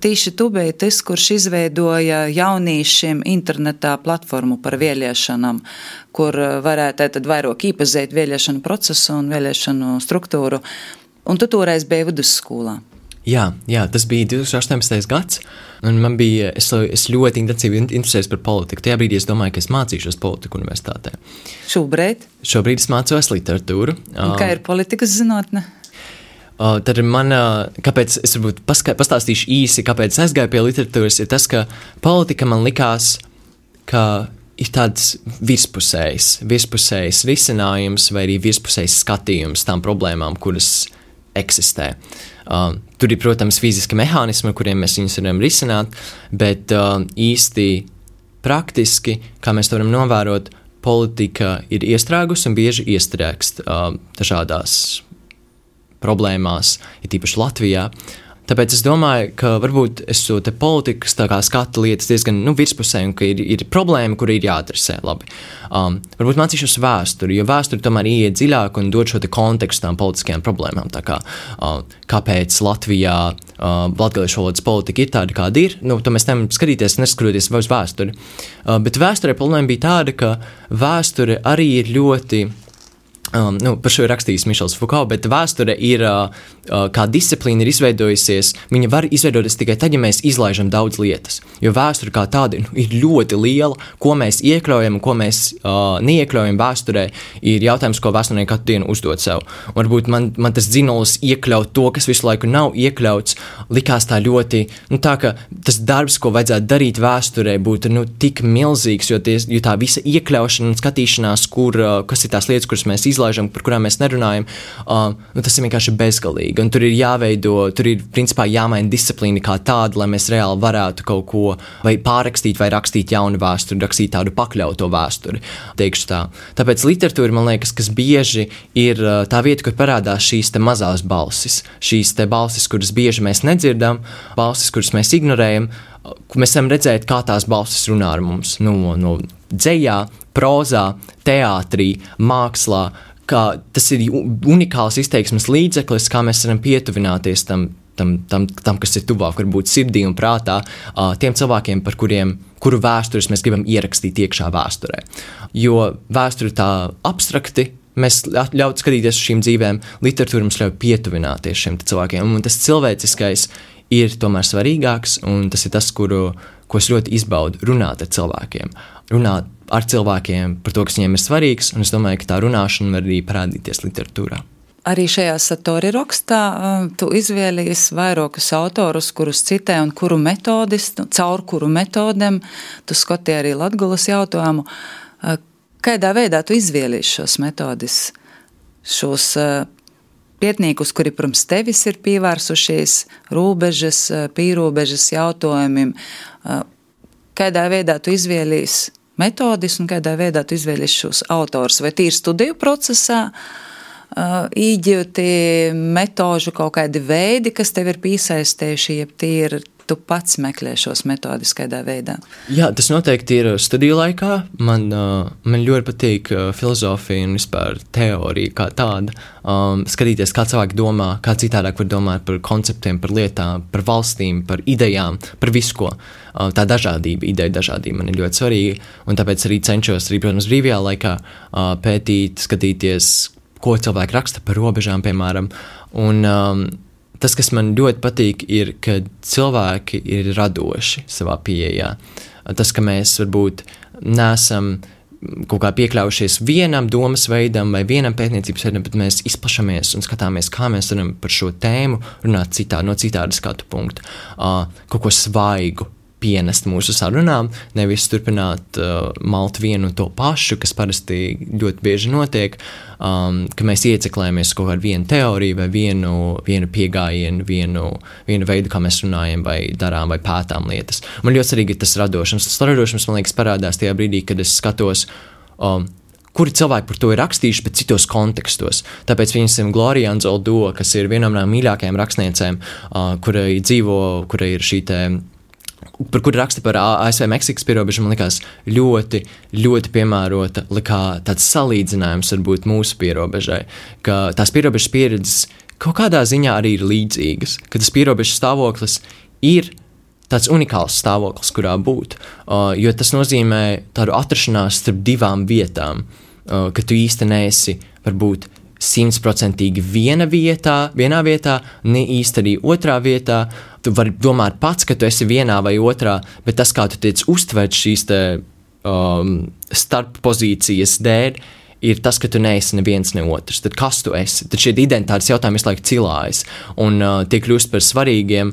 S3: tīši tu biji tas, kurš izveidoja jauniešiem internetā platformu par vēlēšanām, kur varētu tad vairāk iepazīt vēlēšanu procesu un vēlēšanu struktūru. Un tu toreiz biji vidusskolā.
S4: Jā, tas bija 2018. gads, un es ļoti intensīvi interesējos par politiku. Tajā brīdī es domāju, ka es mācīšos politiku universitātē.
S3: Šobrīd?
S4: Šobrīd es mācos literatūru.
S3: Un kā ir politikas zinātne?
S4: Tad kāpēc es varbūt pastāstīšu īsi, kāpēc es aizgāju pie literatūras, ir tas, ka politika man likās, ka ir tāds virspusējs risinājums vai arī virspusējs skatījums tām problēmām, kuras eksistē. Tur ir, protams, fiziski mehānismi, ar kuriem mēs viņus varam risināt, bet īsti praktiski, kā mēs to varam novērot, politika ir iestrēgusi un bieži iestrēgst dažādās problēmās, ir tīpaši Latvijā. Tāpēc es domāju, ka varbūt es to te politikas tā kā skatu lietas diezgan virspusē, un ka ir problēma, kura ir jāatrisē labi. Varbūt mācīšos vēsturi, jo vēsturi tomēr ieiet dziļāk un dod šo te kontekstu tām politiskajām problēmām. Tā kā, kāpēc Latvijā latgaliešu valodas politika ir tāda, kāda ir, to mēs nevaram skatīties, neskatoties uz vēsturi. Bet vēsturē problēma bija tāda, ka vēsture arī ir ļoti Par šo ir rakstījis Mišels Foucault, bet vēsture ir, kā disciplīna ir izveidojusies, viņa var izveidoties tikai tad, ja mēs izlaižam daudz lietas. Jo vēsture kā tāda ir ļoti liela, ko mēs iekļaujam un ko mēs neiekļaujam vēsturē, ir jautājums, ko vēsturnieki katru dienu uzdod sev. Un varbūt man tas dzinolis iekļaut to, kas visu laiku nav iekļauts, likās tā ļoti, tā ka tas darbs, ko vajadzētu darīt vēsturē, būtu tik milzīgs, jo tā visa iekļaušana un skatīšanās, kas ir tās lietas, kuras mēs izlaižam, par kurām mēs nerunājam, tas ir vienkārši bezgalīgi. Un tur ir jāveido, tur ir principā jāmaina disciplīna kā tāda, lai mēs reāli varētu kaut ko vai pārrakstīt vai rakstīt jaunu vēsturi, rakstīt tādu pakļauto vēsturi, teikšu tā. Tāpēc literatūra, man liekas, kas bieži ir tā vieta, kur parādās šīs te mazās balsis, šīs te balsis, kuras bieži mēs nedzirdam, balsis, kuras mēs ignorējam, mēs varam redzēt, kā tās balsis runā ar mums no dzejā, prozā, teātrī, mākslā, kā tas ir unikāls izteiksmes līdzeklis, kā mēs varam pietuvināties tam, kas ir tuvāk, varbūt sirdī un prātā, tiem cilvēkiem, kuru vēstures mēs gribam ierakstīt iekšā vēsturē. Jo vēsture tā abstrakti, mēs ļaut skatīties uz šīm dzīvēm, literatūra mums ļauj pietuvināties šiem cilvēkiem, un tas cilvēciskais ir tomēr svarīgāks, un tas ir tas, ko es ļoti izbaudu, runāt ar cilvēkiem. Runāt ar cilvēkiem par to, kas viņiem ir svarīgs, un es domāju, ka tā runāšana var arī parādīties literatūrā.
S5: Arī šajā Satori rakstā tu izvēlējies vairākus autorus, kurus citē un caur kuru metodēm tu skoti arī Latgulas jautājumu. Kādā veidā tu izvēlējies šos metodus, šos pētniekus, kuri pirms tevis ir pievērsušies robežas, pīrobežas jautājumiem? Kādā veidā tu izvēlējies metodis un kādā veidā tu izvēlējies šos autors? Vai tīri studiju procesā īģīti metožu kaut kādi veidi, kas tev ir piesaistējuši, ja tīri tu pats meklē šos metodus kādā veidā? Jā,
S4: tas noteikti ir studiju laikā. Man ļoti patīk filozofija un vispār teorija kā tāda. Skatīties, kā cilvēki domā, kā citādāk var domāt par konceptiem, par lietām, par valstīm, par idejām, par visu ko. Tā dažādība, ideja dažādība man ir ļoti svarīga, un tāpēc arī cenšos, protams, brīvajā laikā pētīt, skatīties, ko cilvēki raksta par robežām, piemēram. Un tas, kas man ļoti patīk, ir, ka cilvēki ir radoši savā pieejā. Tas, ka mēs varbūt nesam kaut kā piekļaujušies vienam domas veidam vai vienam pētniecības veidam, bet mēs izplašamies un skatāmies, kā mēs varam par šo tēmu runāt no citāda skatu punkta. Kaut ko svaigu pienest mūsu sarunām, nevis turpināt malt vienu un to pašu, kas parasti ļoti bieži notiek, ka mēs ieceklējamies kaut kādu vienu teoriju vai vienu piegājienu, vienu veidu, kā mēs runājam vai darām vai pētām lietas. Man ļoti svarīgi ir tas radošums. Tas radošums, man liekas, parādās tajā brīdī, kad es skatos, kuri cilvēki par to ir rakstījuši, bet citos kontekstos. Tāpēc viņam Gloria Anzaldúa, kas ir viena no mīļākajām rakstniecēm, kura ir šī te par kuru raksta par ASV Meksikas pierobežu, man likās ļoti, ļoti piemērota, likā tāds salīdzinājums varbūt mūsu pierobežai, ka tās pierobežas pieredzes kaut kādā ziņā arī ir līdzīgas, ka tas pierobežas stāvoklis ir tāds unikāls stāvoklis, kurā būt, jo tas nozīmē tādu atrašanās starp divām vietām, ka tu īsti neesi varbūt 100% vienā vietā, ne īsti arī otrā vietā. Tu vari domāt pats, ka tu esi vienā vai otrā, bet tas, kā tu tiec uztvert šīs starp pozīcijas dēļ, ir tas, ka tu neesi neviens ne otrs. Tad kas tu esi? Tad šie identitātes jautājumi visu laiku cilājas un tie kļūst par svarīgiem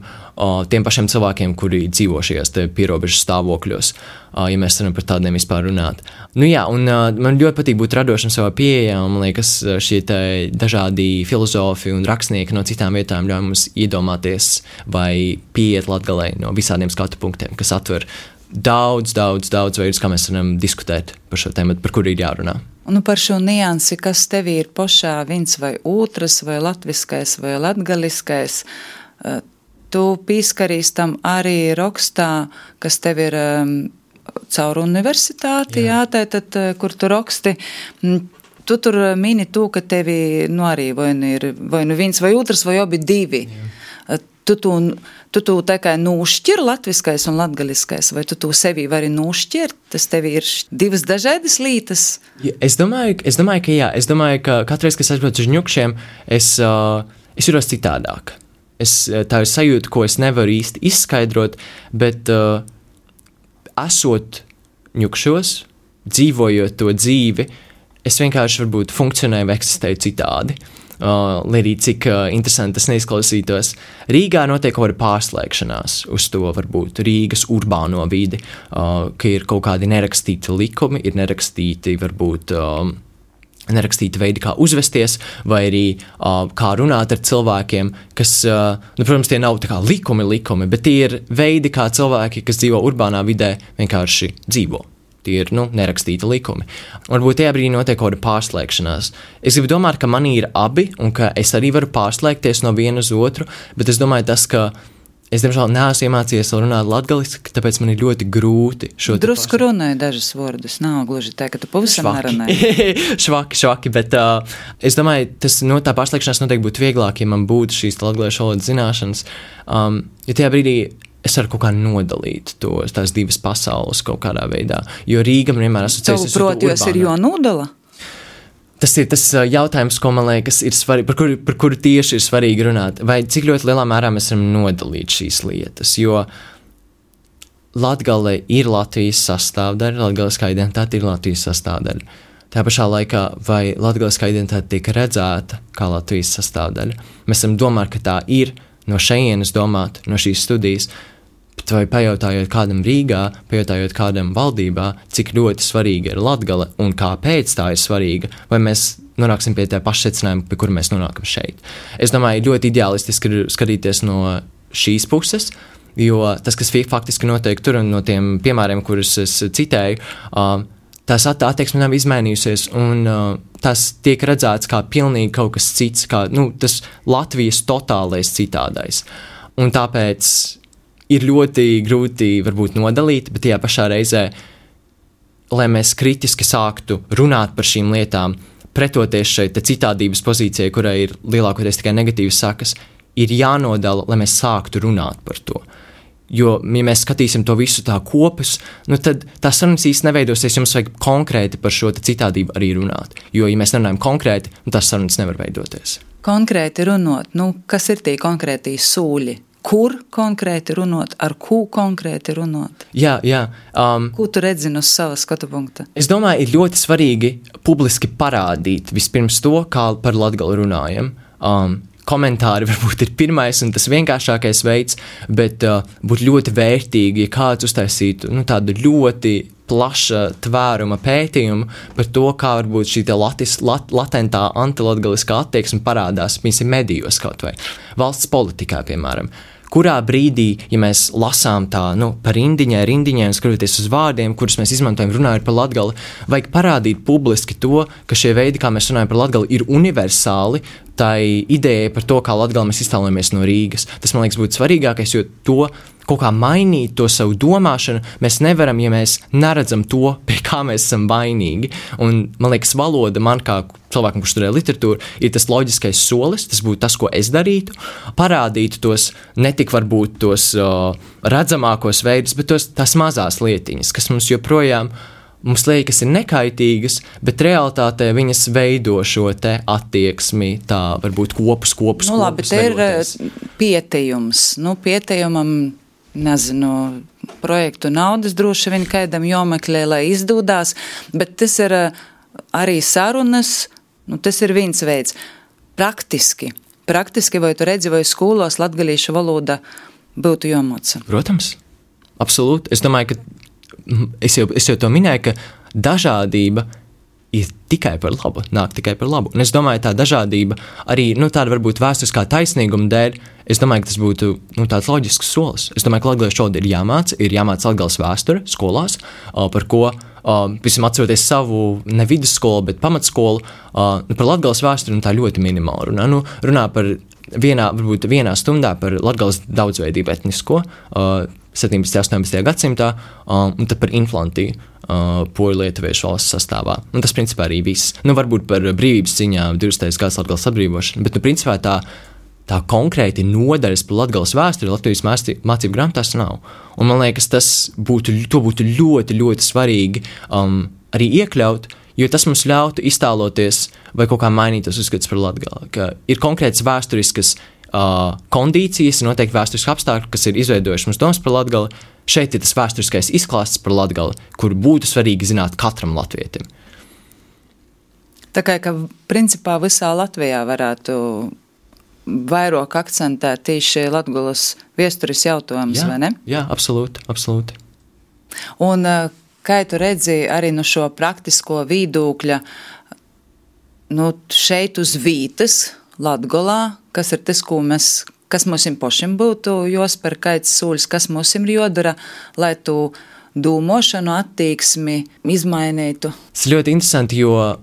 S4: tiem pašiem cilvēkiem, kuri dzīvo šajās pierobežas stāvokļos, ja mēs varam par tādiem vispār runāt. Un man ļoti patīk būt radošam savā pieejā, un man liekas, šie dažādi filozofi un rakstnieki no citām vietām ļauj mums iedomāties vai pieiet Latgalei no visādiem skatu punktiem, kas atver daudz veidus, kā mēs varam diskutēt par šo tēmu, par kuru ir jārunā.
S5: Un par šo niansi, kas tev ir pašā viens vai otrs, vai latviskais, vai latgaliskais, tu pīskarīs tam arī rakstā, kas tev ir caur universitāti, tātad, kur tu raksti. Tu tur mini to, ka tevi arī vai nu viens vai otrs, vai abi divi. Jā. Tu tikai nošķir latviskais un latgaliskais, vai tu sevī vari nošķirt? Tas tev ir divas dažādas lietas?
S4: Ja, es domāju, ka jā. Es domāju, ka katru reizi, kad es aizbraucu uz Ņukšiem, es jūtos citādāk. Tā ir sajūta, ko es nevaru īsti izskaidrot, bet esot Ņukšos, dzīvojot to dzīvi, es vienkārši varbūt funkcionēju vai eksistēju citādi. Lai arī cik interesanti tas neizklausītos. Rīgā notiek kaut kāda pārslēgšanās uz to varbūt Rīgas urbāno vidi, ka ir kaut kādi nerakstīti likumi, ir nerakstīti varbūt nerakstīti veidi, kā uzvesties, vai arī kā runāt ar cilvēkiem, kas, protams, tie nav tā kā likumi, bet tie ir veidi, kā cilvēki, kas dzīvo urbānā vidē, vienkārši dzīvo. Tie ir, nerakstīti likumi. Varbūt tajā brīdī notiek kaut kāda pārslēgšanās. Es gribu domāt, ka manī ir abi, un ka es arī varu pārslēgties no viena uz otru, bet es domāju tas, ka es, diemžēl, neesmu iemācījies vēl runāt latgaliski, tāpēc man ir ļoti grūti šo
S5: drusku runāju dažas vārdus, nav gluži tā, ka tu pavisam nerunāji.
S4: švaki, bet es domāju, tā pārslēgšanās noteikti būtu vieglāk, ja man būtu šīs latgaliešu valodas zināšanas, ja tajā brīdī es varu kaut kā nodalīt tās divas pasaules kaut kādā veidā, jo Rīga man vienmēr asociēsies uz to urbānu.
S5: Proti, ir jānodala?
S4: Tas ir tas jautājums, ko man liekas ir svarīgi, par kuru tieši ir svarīgi runāt, vai cik ļoti lielā mērā mēs varam nodalīt šīs lietas, jo Latgale ir Latvijas sastāvdaļa, latgaliskā identitāte ir Latvijas sastāvdaļa. Tā pašā laikā, vai latgaliskā identitāte tiek redzēta kā Latvijas sastāvdaļa? Mēs varam domāt, ka tā ir, no šejienes domāt, no šīs studijas, bet vai pajautājot kādam Rīgā, pajautājot kādam valdībā, cik ļoti svarīga ir Latgale un kāpēc tā ir svarīga, vai mēs nonāksim pie tā paša secinājuma, pie kura mēs nonākam šeit. Es domāju, ļoti ideālistiski ir skatīties no šīs puses, jo tas, kas faktiski notiek tur un no tiem piemēriem, kurus es citēju, tās attieksme nav izmainījusies, un tas tiek redzēts kā pilnīgi kaut kas cits, kā tas Latvijas totālais citādais. Un tāpēc ir ļoti grūti varbūt nodalīt, bet tajā pašā reizē, lai mēs kritiski sāktu runāt par šīm lietām, pretoties šeit citādības pozīcijai, kurai ir lielākoties tikai negatīvas sakas, ir jānodala, lai mēs sāktu runāt par to. Jo, ja mēs skatīsim to visu tā kopus, tad tās sarunas īsti neveidosies, jums vajag konkrēti par šo citādību arī runāt. Jo, ja mēs nerunājam konkrēti, tās sarunas nevar veidoties.
S5: Konkrēti runot, kas ir tie konkrētī sūļi? Kur konkrēti runot, ar ko konkrēti runot?
S4: Jā.
S5: Ko tu redzi no sava skatu punkta?
S4: Es domāju, ir ļoti svarīgi publiski parādīt vispirms to, kā par Latgali runājam. Komentāri varbūt ir pirmais un tas vienkāršākais veids, bet būtu ļoti vērtīgi, ja kāds uztaisītu tādu ļoti plaša tvēruma pētījumu par to, kā varbūt šī latentā antilatgaliskā attieksme parādās, piemēram, medijos kaut vai valsts politikā, piemēram. Kurā brīdī, ja mēs lasām tā, par rindiņai, skatoties uz vārdiem, kurus mēs izmantojam runājot par Latgali, vajag parādīt publiski to, ka šie veidi, kā mēs runājam par Latgali, ir universāli tai idejai par to, kā Latgali mēs iztēlojamies no Rīgas. Tas, man liekas, būtu svarīgākais, jo to kaut kā mainīt to savu domāšanu mēs nevaram, ja mēs neredzam to, pie kā mēs esam vainīgi. Un, man liekas, valoda man kā cilvēkam, kurš studē literatūru, ir tas loģiskais solis, tas būtu tas, ko es darītu, parādīt tos, netik varbūt tos redzamākos veidus, bet tās mazās lietiņas, kas mums joprojām mums liekas ir nekaitīgas, bet realitātē viņas veido šo te attieksmi, tā varbūt kopus.
S5: Labi, te ir pietījums. Pietījumam, nezinu, projektu naudas droši vien kaidam jomeklē, lai izdūdās, bet tas ir arī sarunas, tas ir viens veids. Praktiski, vai tu redzi, vai skolos latgalīšu valoda būtu jomoca?
S4: Protams, absolūti. Es domāju, ka es jau to minēju, ka dažādība ir tikai par labu, nāk tikai par labu. Un es domāju, tā dažādība arī, tāda varbūt vēsturiskā taisnīguma dēļ, es domāju, ka tas būtu, tāds loģisks solis. Es domāju, ka latgaliešu valoda ir jāmāca latgales vēsture skolās, par ko, visam atceroties savu ne vidusskolu, bet pamatskolu, par latgales vēsturi tā ļoti minimāli runā. Runā par varbūt vienā stundā par latgales daudzveidību etnisko, 17. un 18. gadsimtā, un tad par inflantiju poļu lietuviešu valsts sastāvā. Un tas principā arī viss. Varbūt par brīvības ciņām 20. gads Latgales atbrīvošanu, bet principā tā tā konkrēti nodaļas par Latgales vēsturi Latvijas mācību grāmatās nav. Un man liekas, to būtu ļoti, ļoti svarīgi arī iekļaut, jo tas mums ļautu iztēloties vai kaut kā mainīt tos uzskatus par Latgali. Ka ir konkrētas vēsturiskas kondīcijas, noteikti vēsturiski apstākļi, kas ir izveidojuši mums domas par Latgali. Šeit ir tas vēsturiskais izklāsts par Latgali, kur būtu svarīgi zināt katram latvietim.
S5: Tā kā, ka principā visā Latvijā varētu vairāk akcentēt tieši Latgulas viesturis jautājums, vai ne?
S4: Jā, absolūti, absolūti.
S5: Un kā tu redzi arī no šo praktisko viedokļa, šeit uz vītas Latgolā, kas ir tas, kas mums pašiem būtu jāspēr kāds soļus, kas mums ir jodara, lai tu domāšanu attieksmi izmainītu?
S4: Tas ļoti interesanti, jo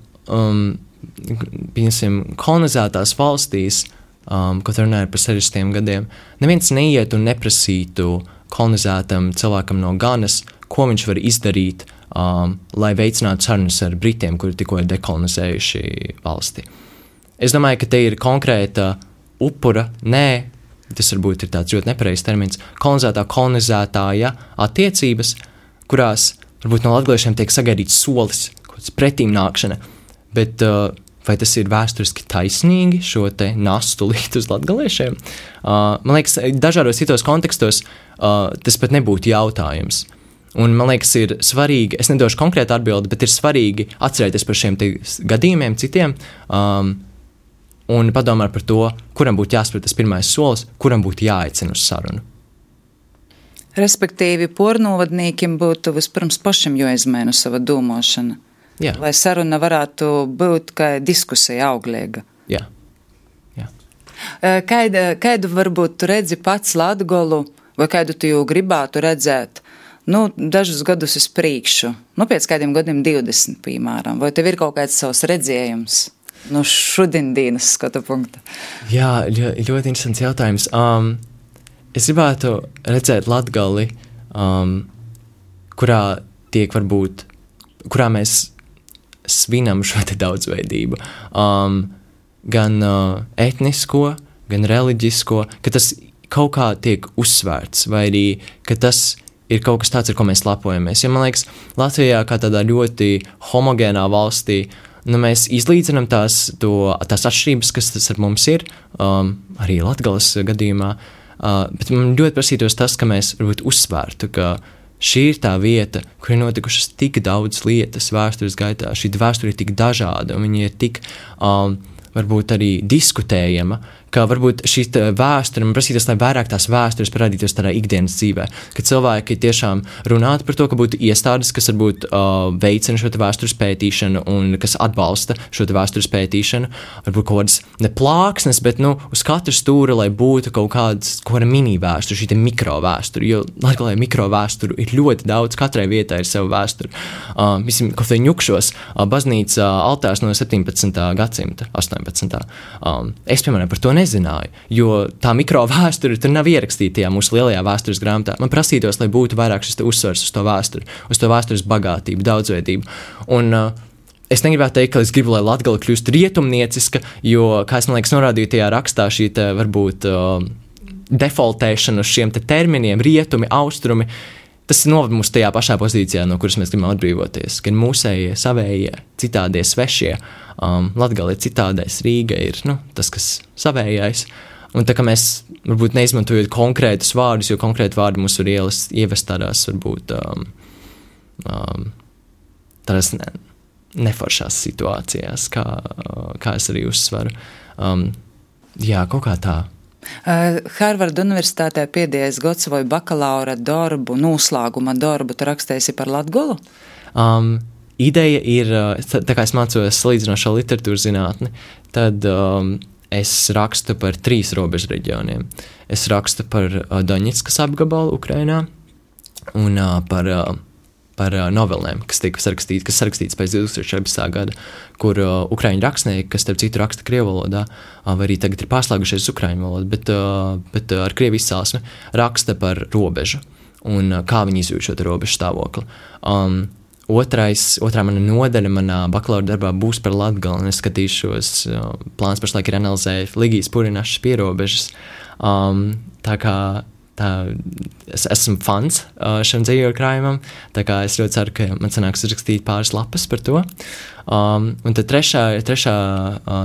S4: kolonizētās valstīs, kad runāja par 60 gadiem, neviens neiet un neprasītu kolonizētam cilvēkam no Ganas, ko viņš var izdarīt, lai veicinātu sarunas ar Britiem, kuri tikko ir dekolonizējuši valsti. Es domāju, ka te ir konkrēta upura, tas varbūt ir tāds ļoti nepareizs termins, kolonizētāja attiecības, kurās varbūt no latgaliešiem tiek sagaidīts solis, kaut kāds pretīm nākšana, bet vai tas ir vēsturiski taisnīgi šo te nastu likt uz latgaliešiem? Man liekas, dažādos citos kontekstos tas pat nebūtu jautājums. Un man liekas, ir svarīgi, es nedošu konkrētu atbildi, bet ir svarīgi atcerēties par šiem gadījumiem citiem un padomāt par to, kuram būtu jāspēr tas pirmais solis, kuram būtu jāaicina uz sarunu.
S5: Respektīvi, pornovadnīkim būtu vispirms pašam jāizmaina sava domāšana.
S4: Jā.
S5: Lai saruna varētu būt kā diskusija auglīga.
S4: Jā.
S5: Kādu varbūt tu redzi pats Latgolu, vai kādu tu jau gribētu redzēt, dažus gadus uz priekšu, pēc kādiem gadiem 20, piemēram, vai tev ir kaut kāds savs redzējums no šodienas skatu punkta? Jā,
S4: ļoti interesants jautājums. Es gribētu redzēt Latgali, kurā mēs svinam šo te daudzveidību, gan etnisko, gan reliģisko, ka tas kaut kā tiek uzsvērts, vai arī, ka tas ir kaut kas tāds, ar ko mēs lepojamies. Jo man liekas, Latvijā kā tādā ļoti homogēnā valstī, mēs izlīdzinām tās atšķirības, kas tas ar mums ir, arī Latgales gadījumā, bet man ļoti prasītos tas, ka mēs varbūt uzsvērtu, ka šī ir tā vieta, kur ir notikušas tik daudz lietas vēstures gaitā. Šī vēsture ir tik dažāda, un viņa ir tik, varbūt arī diskutējama, ka varbūt šī vēsture, man prasītos, lai vairāk tās vēstures parādītos tādā ikdienas dzīvē, ka cilvēki tiešām runātu par to, ka būtu iestādes, kas varbūt veicina šo vēstures pētīšanu un kas atbalsta šo vēstures pētīšanu, varbūt kaut kādas ne plāksnes, bet uz katru stūra, lai būtu kaut kāda mini vēsture, šī mikrovēsture, jo Latgalē mikrovēsturu ir ļoti daudz, katrai vietai ir sava vēsture. Kaut vai Ņukšos, baznīca altārs no 17. gadsimta, 18. Es, piemēram, par to nezināju, jo tā mikrovēsture tur nav ierakstīta tajā mūsu lielajā vēstures grāmatā. Man prasītos, lai būtu vairāk šis uzsvars uz to vēsturi, uz to vēstures bagātību, daudzveidību. Un es negribētu teikt, ka es gribu, lai Latgale kļūst rietumnieciska, jo, kā es man liekas norādīju tajā rakstā, šī varbūt defaultēšana uz šiem terminiem, rietumi, austrumi, tas noved mūs tajā pašā pozīcijā, no kuras mēs gribam atbrīvoties. Gan mūsējie, savējie, citādie, svešie. Latgale ir citādais, Rīga ir tas, kas savējais. Un tā kā mēs varbūt neizmantojot konkrētus vārdus, jo konkrēti vārdi mūs var ievest tādās varbūt tādās neforšās situācijās, kā es arī uzsveru. Kaut kā tā.
S5: Harvarda universitātē pēdējais gads vai bakalaura darbu, noslēguma darbu, tu rakstēsi par Latgolu?
S4: Ideja ir, tā kā es mācos salīdzinošo literatūras zinātni, tad es rakstu par 3 robežu reģioniem. Es rakstu par Doņetskas apgabalu Ukrainā un par novelēm, kas tika sarakstīts pēc 2014. gada, kur ukraiņu rakstnieki, kas starp citu raksta krievu valodā, vai arī tagad ir pārslēgušies uz ukraiņu valodu, bet ar krievu izcelsmi raksta par robežu un kā viņi izjūt šo robežu stāvokli. Otrā mana nodaļa manā bakalaura darbā būs par Latgali, un es skatīšos, plāns pašlaik ir analizēt Ligijas Purinašas pierobežas. Es esmu fans šim dzīvoļu krājumam, tā kā es ļoti ceru, ka man sanāks uzrakstīt pāris lapas par to. Un tad trešā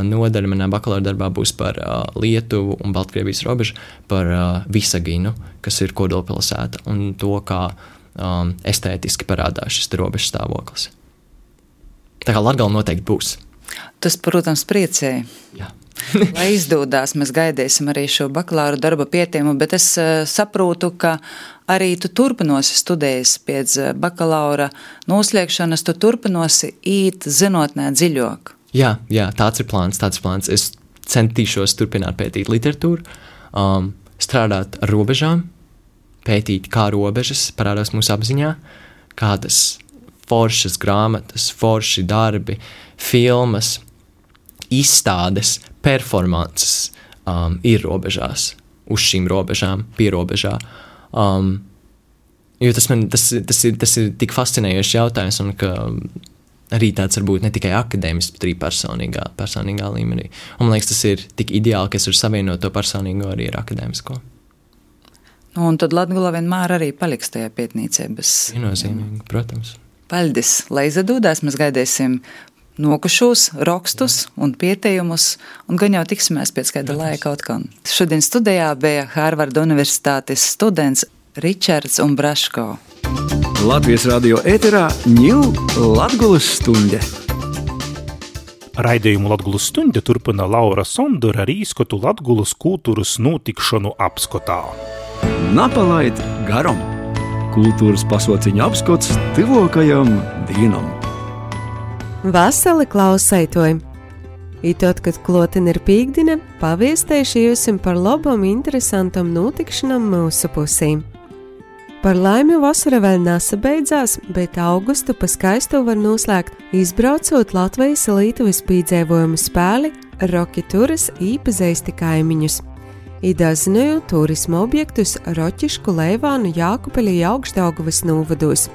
S4: nodaļa manā bakalaura darbā būs par Lietuvu un Baltkrievijas robežu, par Visaginu, kas ir kodolpilsēta, un to, kā estētiski parādās šis robežas stāvoklis. Tā kā Latgala noteikti būs.
S5: Tas, protams, priecēja.
S4: Jā.
S5: Lai izdodās, mēs gaidīsim arī šo bakalaura darba pietieku, bet es saprotu, ka arī tu turpinosi studējas pēc bakalaura noslēgšanas, tu turpinosi īt zinātnē dziļāk. Jā,
S4: tāds ir plāns. Es centīšos turpināt pētīt literatūru, strādāt ar robežām, pētīt, kā robežas parādās mūsu apziņā, kādas foršas grāmatas, forši darbi, filmas, izstādes, performances ir robežās, uz šīm robežām, pierobežā. Jo tas ir tik fascinējošs jautājums, un ka arī tāds varbūt ne tikai akadēmisks, bet arī personīgā līmenī. Un man liekas, tas ir tik ideāli, ka es varu savienot to personīgo arī ar akadēmisko.
S5: Un tad Latgala vienmēr arī paliks tajā pētniecē.
S4: Viennozīmīgi, protams.
S5: Paldies, lai izdodās, mēs gaidīsim nokušos rakstus un pieteikumus, un gan jau tiksimies pēc kāda laika atkal. Šodien studijā bija Harvarda Universitātes students Ričards Umbraško.
S1: Latvijas radio ēterā ņū Latgulas stunde.
S2: Raidījumu Latgulas stunde turpina Laura Sondura ar īskotu Latgulas kultūras notikšanu apskotā.
S1: Napalaid garam. Kultūras pasauciņa apskots tuvākajam dienam.
S6: Vasali klausētojumi! Itot, kad klotin ir pīkdina, paviestējuši jūsim par labam interesantam notikšanam mūsu pusīm. Par laimi vasara vēl nesabeidzās, bet augustu pa skaistu var noslēgt, izbraucot Latvijas Lietuvas pīdzēvojumu spēli Roki turas īpazeisti kaimiņus. Idazinoju turisma objektus Roķišku, Leivānu, Jākupeļa, Augšdaugavas novados.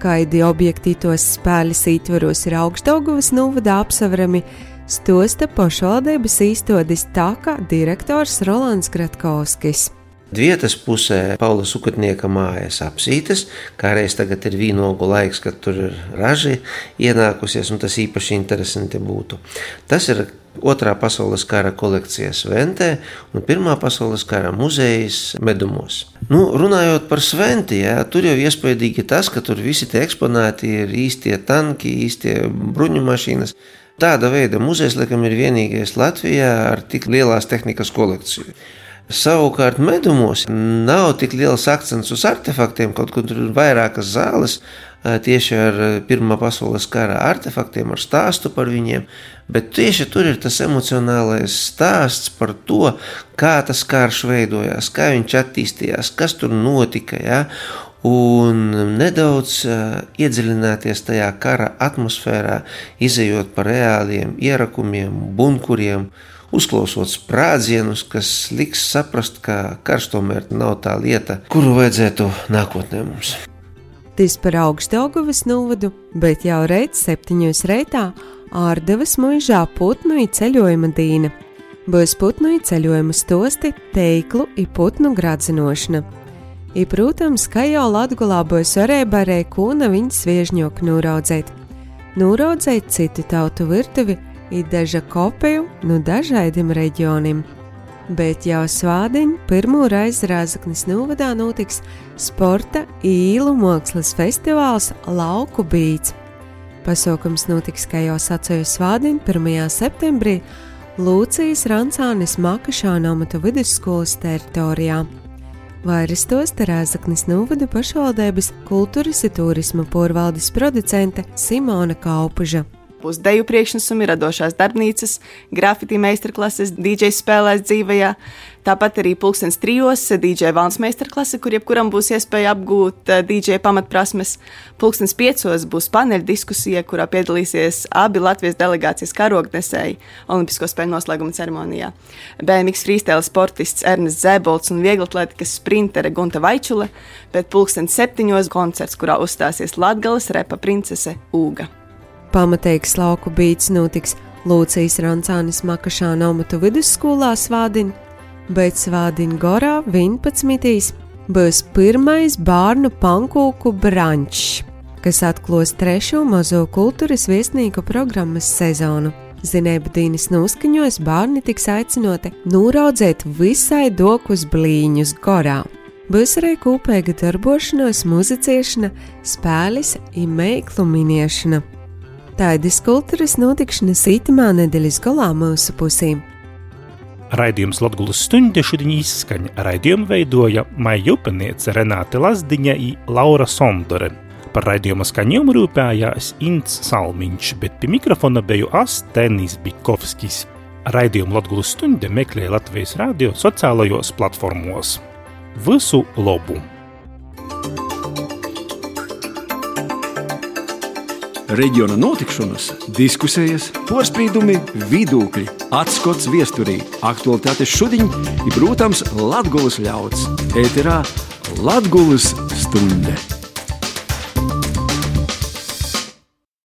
S6: Kaidi objekti tos spēles ītvaros ir Augšdaugavas novadā apsaverami, stosta pašvaldības īstodis Taka direktors Rolands Gratkovskis.
S7: Dvietas pusē Paula Sukatnieka mājas apsītes, kā reiz tagad ir vīnogu laiks, kad tur ir raži ienākusies, un tas īpaši interesanti būtu. Tas ir Otrā pasaules kara kolekcijas Sventē un Pirmā pasaules kara muzejas Medumos. Runājot par Sventi, tur jau iespaidīgi tas, ka tur visi tie eksponāti ir īstie tanki, īstie bruņu mašīnas. Tāda veida muzejs, laikam, ir vienīgais Latvijā ar tik lielās tehnikas kolekciju. Savukārt Medumos nav tik liels akcents uz artefaktiem, kaut kur tur ir vairākas zāles tieši ar Pirmā pasaules kara artefaktiem, ar stāstu par viņiem, bet tieši tur ir tas emocionālais stāsts par to, kā tas karš veidojās, kā viņš attīstījās, kas tur notika, un nedaudz iedziļināties tajā kara atmosfērā, izejot par reāliem ierakumiem, bunkuriem, uzklausot sprādzienus, kas liks saprast, ka karš tomēr nav tā lieta, kuru vajadzētu nākotnē mums.
S6: Tas par Augšdaugavas novadu, bet jau reiz 7 reitā Ārdavas muižā putnu i ceļojuma dīna. Būs putnu i ceļojuma stosti, teiklu i putnu gradzinošana. I, protams, ka jau Latgulā būs varēja kūna viņas sviežņoku nūraudzēt. Nūraudzēt citu tautu virtuvi i daža kopiju no dažādiem reģioniem. Bet jau svādiņ pirmo reizi Rāzaknis novadā notiks sporta īlu mākslas festivāls Lauku Bīts. Pasaukums notiks, kā jau sacēju svādiņ 1. septembrī Lūcijas Rancānes Makašāna amatu vidusskolas teritorijā. Vairs tos Rāzaknis novada pašvaldības kultūras i turisma porvaldes producente Simona Kaupuža.
S8: Būs deju priekšnesumi, radošās darbnīcas, grafiti meistarklases, DJ spēlēs dzīvajā. Tāpat arī 3:00 DJ valns meistarklase, kur jebkuram būs iespēja apgūt DJ pamatprasmes. 5:00 būs paneļa diskusija, kurā piedalīsies abi Latvijas delegācijas karognesēji Olimpisko spēļu noslēguma ceremonijā. BMX freestyle sportists Ernests Zēbolts un vieglatlētikas sprintere Gunta Vaičule, bet 7:00 koncerts, kurā uzstāsies Latgales repa princese Ūga.
S6: Pamateiks lauku bīts notiks Lūcijas Rancānis Makašāna Omatu vidusskolā Svādin, bet Svādin Gorā 11. būs pirmais bārnu pankūku brančs, kas atklās 3. mazo kultūras viesnīku programmas sezonu. Zinēba Dīnis noskaņos bārni tiks aicinoti nūraudzēt visai dokus blīņus Gorā. Būs arī kopīga darbošanos, muziciešana, spēles un meiklu miniešana. Tādas kultūras notikšanas itamā nedēļas galā mūsu pusīm.
S2: Raidījums Latgulas stuņde šodien izskaņa. Raidījumu veidoja Maija Upeniece, Renāte Lazdiņa i Laura Sondore. Par raidījuma skaņojumu rūpējās Ints Salmiņš, bet pie mikrofona beju Tenis Bikovskis. Raidījumu Latgulas stuņde meklēja Latvijas radio sociālajos platformos. Visu labu!
S1: Reģiona notikšanas, diskusijas, porspīdumi, vidūkļi, atskots viesturī, aktualitātes šodien ir, protams, Latgulas ļauds. Ēterā Latgulas stunde.